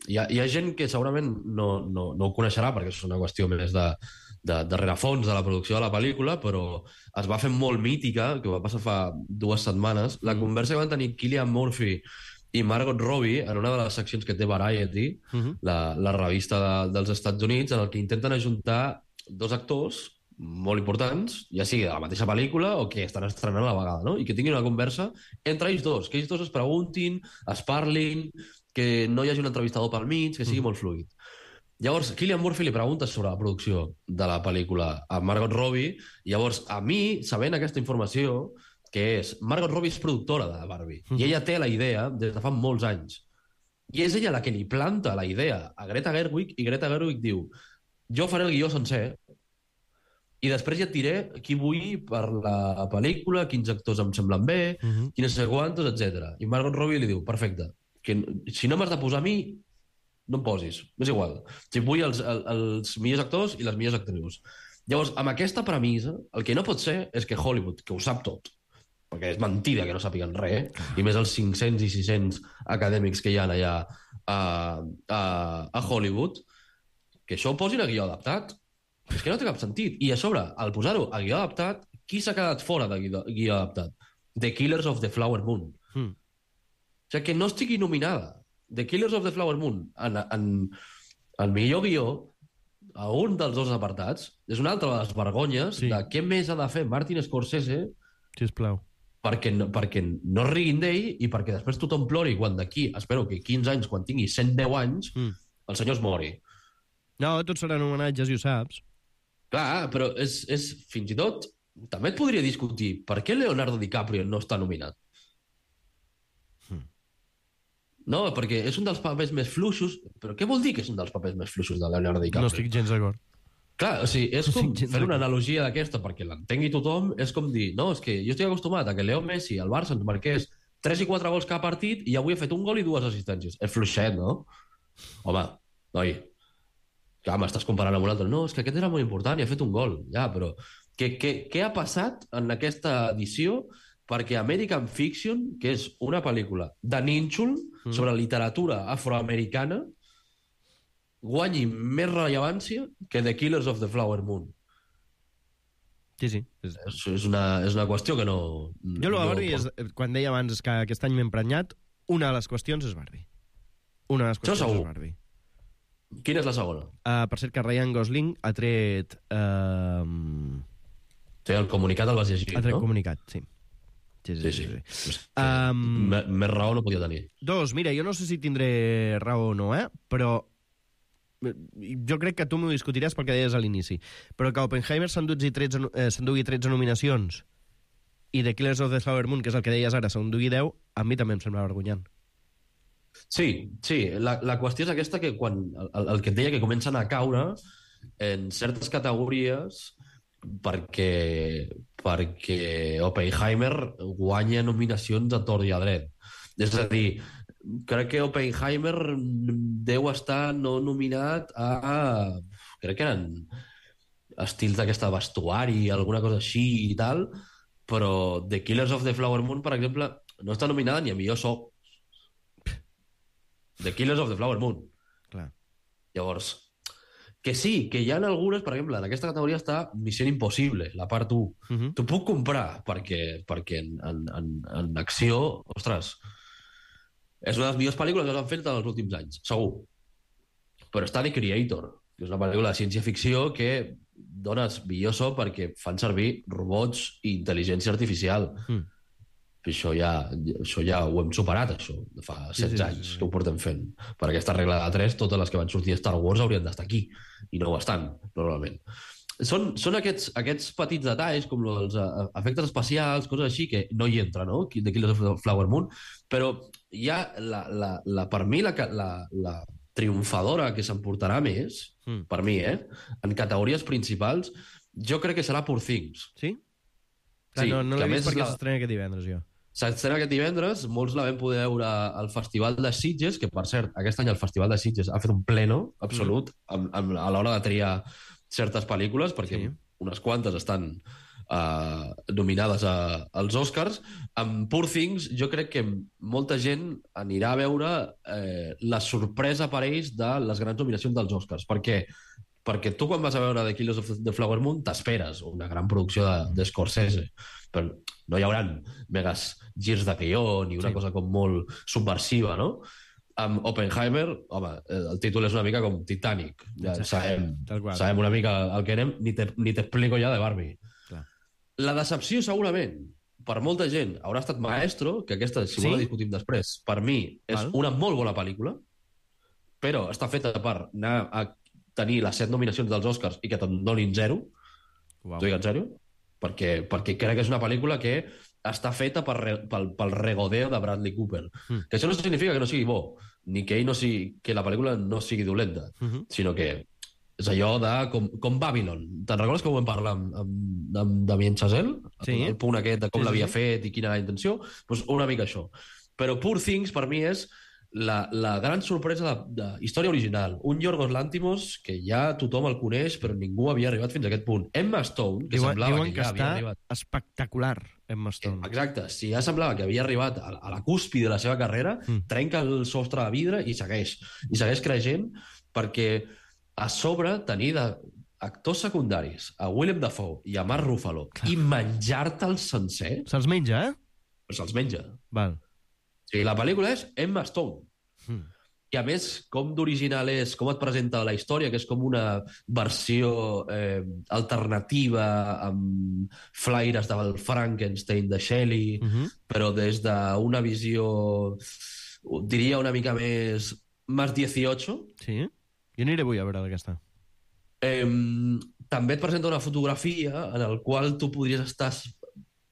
hi ha gent que segurament no ho coneixerà, perquè és una qüestió més de rerefons de la producció de la pel·lícula, però es va fer molt mítica, que va passar fa 2 setmanes, la conversa que van tenir Cillian Murphy i Margot Robbie en una de les seccions que té Variety, la revista dels Estats Units, en el que intenten ajuntar 2 actors molt importants, ja sigui de la mateixa pel·lícula o que estan estrenant a la vegada, no? I que tinguin una conversa entre ells dos, que ells dos es preguntin, es parlin, que no hi hagi un entrevistador pel mig, que sigui molt fluid. Llavors, Cillian Murphy li pregunta sobre la producció de la pel·lícula a Margot Robbie, i llavors, a mi, sabent aquesta informació, que és, Margot Robbie és productora de Barbie, i ella té la idea des de fa molts anys. I és ella la que li planta la idea a Greta Gerwig, i Greta Gerwig diu, jo faré el guió sencer, i després ja et diré qui vull per la pel·lícula, quins actors em semblen bé, quines sé quantos, etc. I Margot Robbie li diu, perfecte, que si no m'has de posar a mi, no em posis, és igual. Si vull els millors actors i les millors actrius. Llavors, amb aquesta premissa, el que no pot ser és que Hollywood, que ho sap tot, perquè és mentida que no sàpiguen res, i més els 500 i 600 acadèmics que hi ha allà a Hollywood, que això ho posin a guió adaptat. És que no té cap sentit. I a sobre, al posar-ho a guió adaptat, qui s'ha quedat fora de guió adaptat? The Killers of the Flower Moon. O sigui, que no estigui nominada The Killers of the Flower Moon en millor guió a un dels 2 apartats és una altra de les vergonyes de què més ha de fer Martin Scorsese, sisplau, perquè no riguin d'ell i perquè després tothom plori quan d'aquí, espero que 15 anys, quan tingui 110 anys, el senyor es mori. No, tots seran homenatges i ho saps. Clar, però és fins i tot... També et podria discutir per què Leonardo DiCaprio no està nominat. No, perquè és un dels papers més fluixos... Però què vol dir que és un dels papers més fluixos de Leonardo DiCaprio? No estic gens d'acord. Clar, o sigui, és com fer una analogia d'aquesta perquè l'entengui tothom, és com dir, no, és que jo estic acostumat a que Leo Messi al Barça ens marqués 3 i 4 gols cada partit i avui ha fet un gol i 2 assistències. És fluixet, no? Home, noi... Clar, m'estàs comparant amb un altre. No, és que aquest era molt important i ha fet un gol. Ja, però què ha passat en aquesta edició perquè American Fiction, que és una pel·lícula de nínxol sobre literatura afroamericana, guanyi més rellevància que The Killers of the Flower Moon? Sí. És una qüestió que no... Jo la Barbie, quan deia abans que aquest any m'he emprenyat, una de les qüestions és Barbie. Una de les qüestions és Barbie. Quina és la segona? Per cert, que Ryan Gosling ha tret... Sí, el comunicat el vas llegir, no? Ha tret comunicat, sí. Sí. Més raó no podia tenir. 2, mira, jo no sé si tindré raó o no, però jo crec que tu m'ho discutiràs pel que deies a l'inici, però que Oppenheimer s'endugui 13 nominacions i The Killers of the Flower Moon, que és el que deies ara, s'endugui 10, a mi també em sembla vergonyant. Sí, la qüestió és aquesta, que quan el que et deia, que comencen a caure en certes categories perquè Oppenheimer guanya nominacions a tort i a dret. És a dir, crec que Oppenheimer deu estar no nominat a... crec que eren estils d'aquesta vestuari, alguna cosa així i tal, però The Killers of the Flower Moon, per exemple, no està nominada ni a millor so. The Killers of the Flower Moon. Clar. Llavors, que sí, que hi ha algunes, per exemple, en aquesta categoria està Missió Impossible, la part 1. T'ho puc comprar, perquè en acció, ostres, és una de les millors pel·lícules que s'han fet en els últims anys, segur. Però està The Creator, que és una pel·lícula de ciència-ficció que dones millor so perquè fan servir robots i intel·ligència artificial. Això ja ho hem superat, això. Fa 16 anys que ho portem fent. Per aquesta regla de 3, totes les que van sortir a Star Wars haurien d'estar aquí, i no ho estan, normalment. Són aquests petits detalls, com els efectes especials, coses així, que no hi entra, no?, de Killers of the Flower Moon, però ja, per mi, la triomfadora que s'emportarà més, per mi, en categories principals, jo crec que serà Poor Things. Sí? No l'he vist perquè s'estrena aquest divendres, jo. S'estrena aquest divendres, molts la vam poder veure al Festival de Sitges, que, per cert, aquest any el Festival de Sitges ha fet un pleno absolut a l'hora de triar certes pel·lícules, perquè unes quantes estan nominades als Oscars. Amb Poor Things, jo crec que molta gent anirà a veure la sorpresa per ells de les grans nominacions dels Oscars. Per què? Perquè tu, quan vas a veure The Killers of the Flower Moon, t'esperes una gran producció de Scorsese, però no hi haurà megas girs de guió ni una cosa com molt subversiva, no? Amb Oppenheimer, home, el títol és una mica com Titanic. Ja sabem una mica el que anem, ni t'explico ja de Barbie. Clar. La decepció, segurament, per molta gent, haurà estat Maestro, que aquesta, si vol la discutim després, per mi és una molt bona pel·lícula, però està feta per anar a tenir les 7 nominacions dels Oscars i que te'n donin 0. T'ho dic en sèrio? Perquè crec que és una pel·lícula que està feta pel regodeo de Bradley Cooper. Que això no significa que no sigui bo, ni que la pel·lícula no sigui dolenta, sinó que és allò de com Babylon. Te'n recordes que ho vam parlar amb Damien Chazelle? El punt aquest de com l'havia fet i quina era la intenció? Doncs una mica això. Però Poor Things, per mi, és la gran sorpresa de història original. Un Yorgos Lanthimos que ja tothom el coneix, però ningú havia arribat fins a aquest punt. Emma Stone, que semblava que ja havia arribat... espectacular, Emma Stone. Exacte. Si ja semblava que havia arribat a la cúspide de la seva carrera, trenca el sostre de vidre i segueix. I segueix creixent, perquè a sobre tenir actors secundaris, a Willem Dafoe i a Mark Ruffalo, i menjar-te'l sencer... Se'ls menja, Se'ls menja. Val. Sí, la pel·lícula és Emma Stone. I a més, com d'original és, com et presenta la història, que és com una versió alternativa amb flaires del Frankenstein de Shelley, però des d'una visió, diria, una mica més 18. Sí? Jo aniré avui a veure aquesta. També et presenta una fotografia en la qual tu podries estar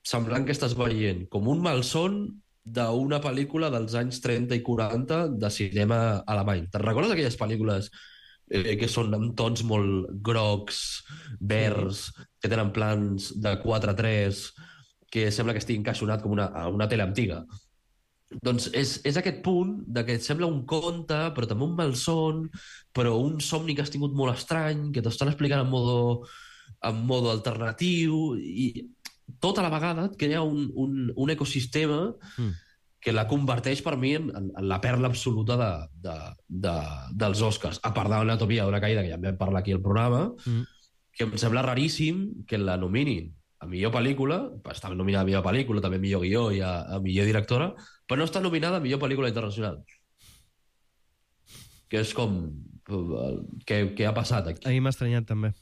semblant que estàs veient com un malson d'una pel·lícula dels anys 30 i 40 de cinema alemany. Te'n recordes aquelles pel·lícules que són amb tons molt grocs, verds, que tenen plans de 4:3, que sembla que estigui encaixonat com una tele antiga? Doncs és aquest punt de que et sembla un conte, però també un malson, però un somni que has tingut molt estrany, que t'estan explicant en modo alternatiu, i tota la vegada et crea un ecosistema que la converteix per mi en la perla absoluta dels Oscars. A part de l'Anatomia d'una caïda, que ja en vam parlar aquí al programa, que em sembla raríssim que la nominin a millor pel·lícula, està nominada a millor pel·lícula, també a millor guió i a millor directora, però no està nominada a millor pel·lícula internacional. Que és com... Què ha passat aquí? Ahir m'ha estranyat també.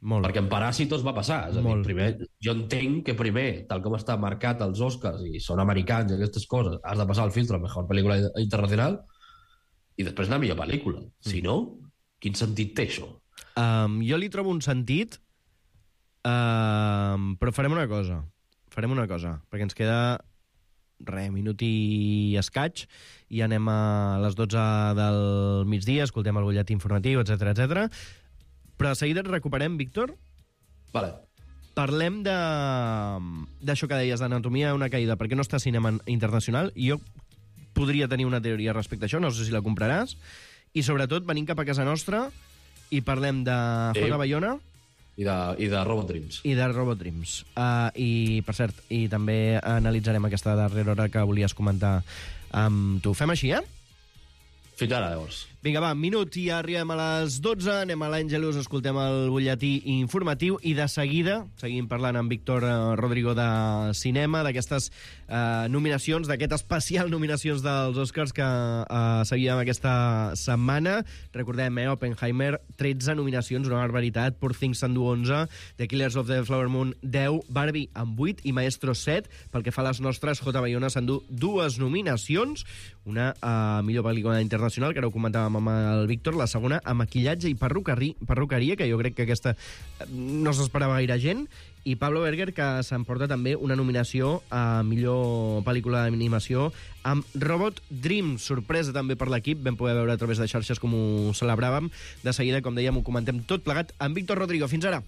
Molt. Perquè en Paràsitos va passar. És a dir, primer, jo entenc que primer, tal com està marcat als Oscars i són americans i aquestes coses, has de passar el filtre a millor pel·lícula internacional i després anar a millor pel·lícula. Si no, quin sentit té això? Jo li trobo un sentit, però farem una cosa, perquè ens queda minut i escaig, i anem a les 12 del migdia, escoltem el butlletí informatiu, etc. Però de seguida et recuperem, Víctor. Vale. Parlem d'això que deies, d'Anatomia d'una caïda, perquè no està a cinema internacional, i jo podria tenir una teoria respecte a això, no sé si la compraràs, i sobretot venim cap a casa nostra i parlem de J. Bayona i de Robot Dreams. I de Robot Dreams. I, per cert, i també analitzarem aquesta darrera hora que volies comentar amb tu. Fem així, Fins ara, llavors. Vinga, va, minut i arribem a les 12. Anem a l'Àngelus, escoltem el butlletí informatiu i de seguida seguim parlant amb Víctor Rodrigo de cinema, d'aquestes nominacions, d'aquest especial nominacions dels Oscars que seguíem aquesta setmana. Recordem, Oppenheimer, 13 nominacions, una barbaritat. Poor Things s'endú 11, The Killers of the Flower Moon 10, Barbie amb 8 i Maestro 7. Pel que fa a les nostres, J. Bayona s'endú 2 nominacions, una millor pel·lícula internacional, que ara ho comentàvem amb el Víctor, la segona a maquillatge i perruqueria, que jo crec que aquesta no s'esperava gaire gent, i Pablo Berger, que s'emporta també una nominació a millor pel·lícula d'animació amb Robot Dream. Sorpresa també per l'equip, vam poder veure a través de xarxes com ho celebràvem. De seguida, com dèiem, ho comentem tot plegat amb Víctor Rodrigo. Fins ara!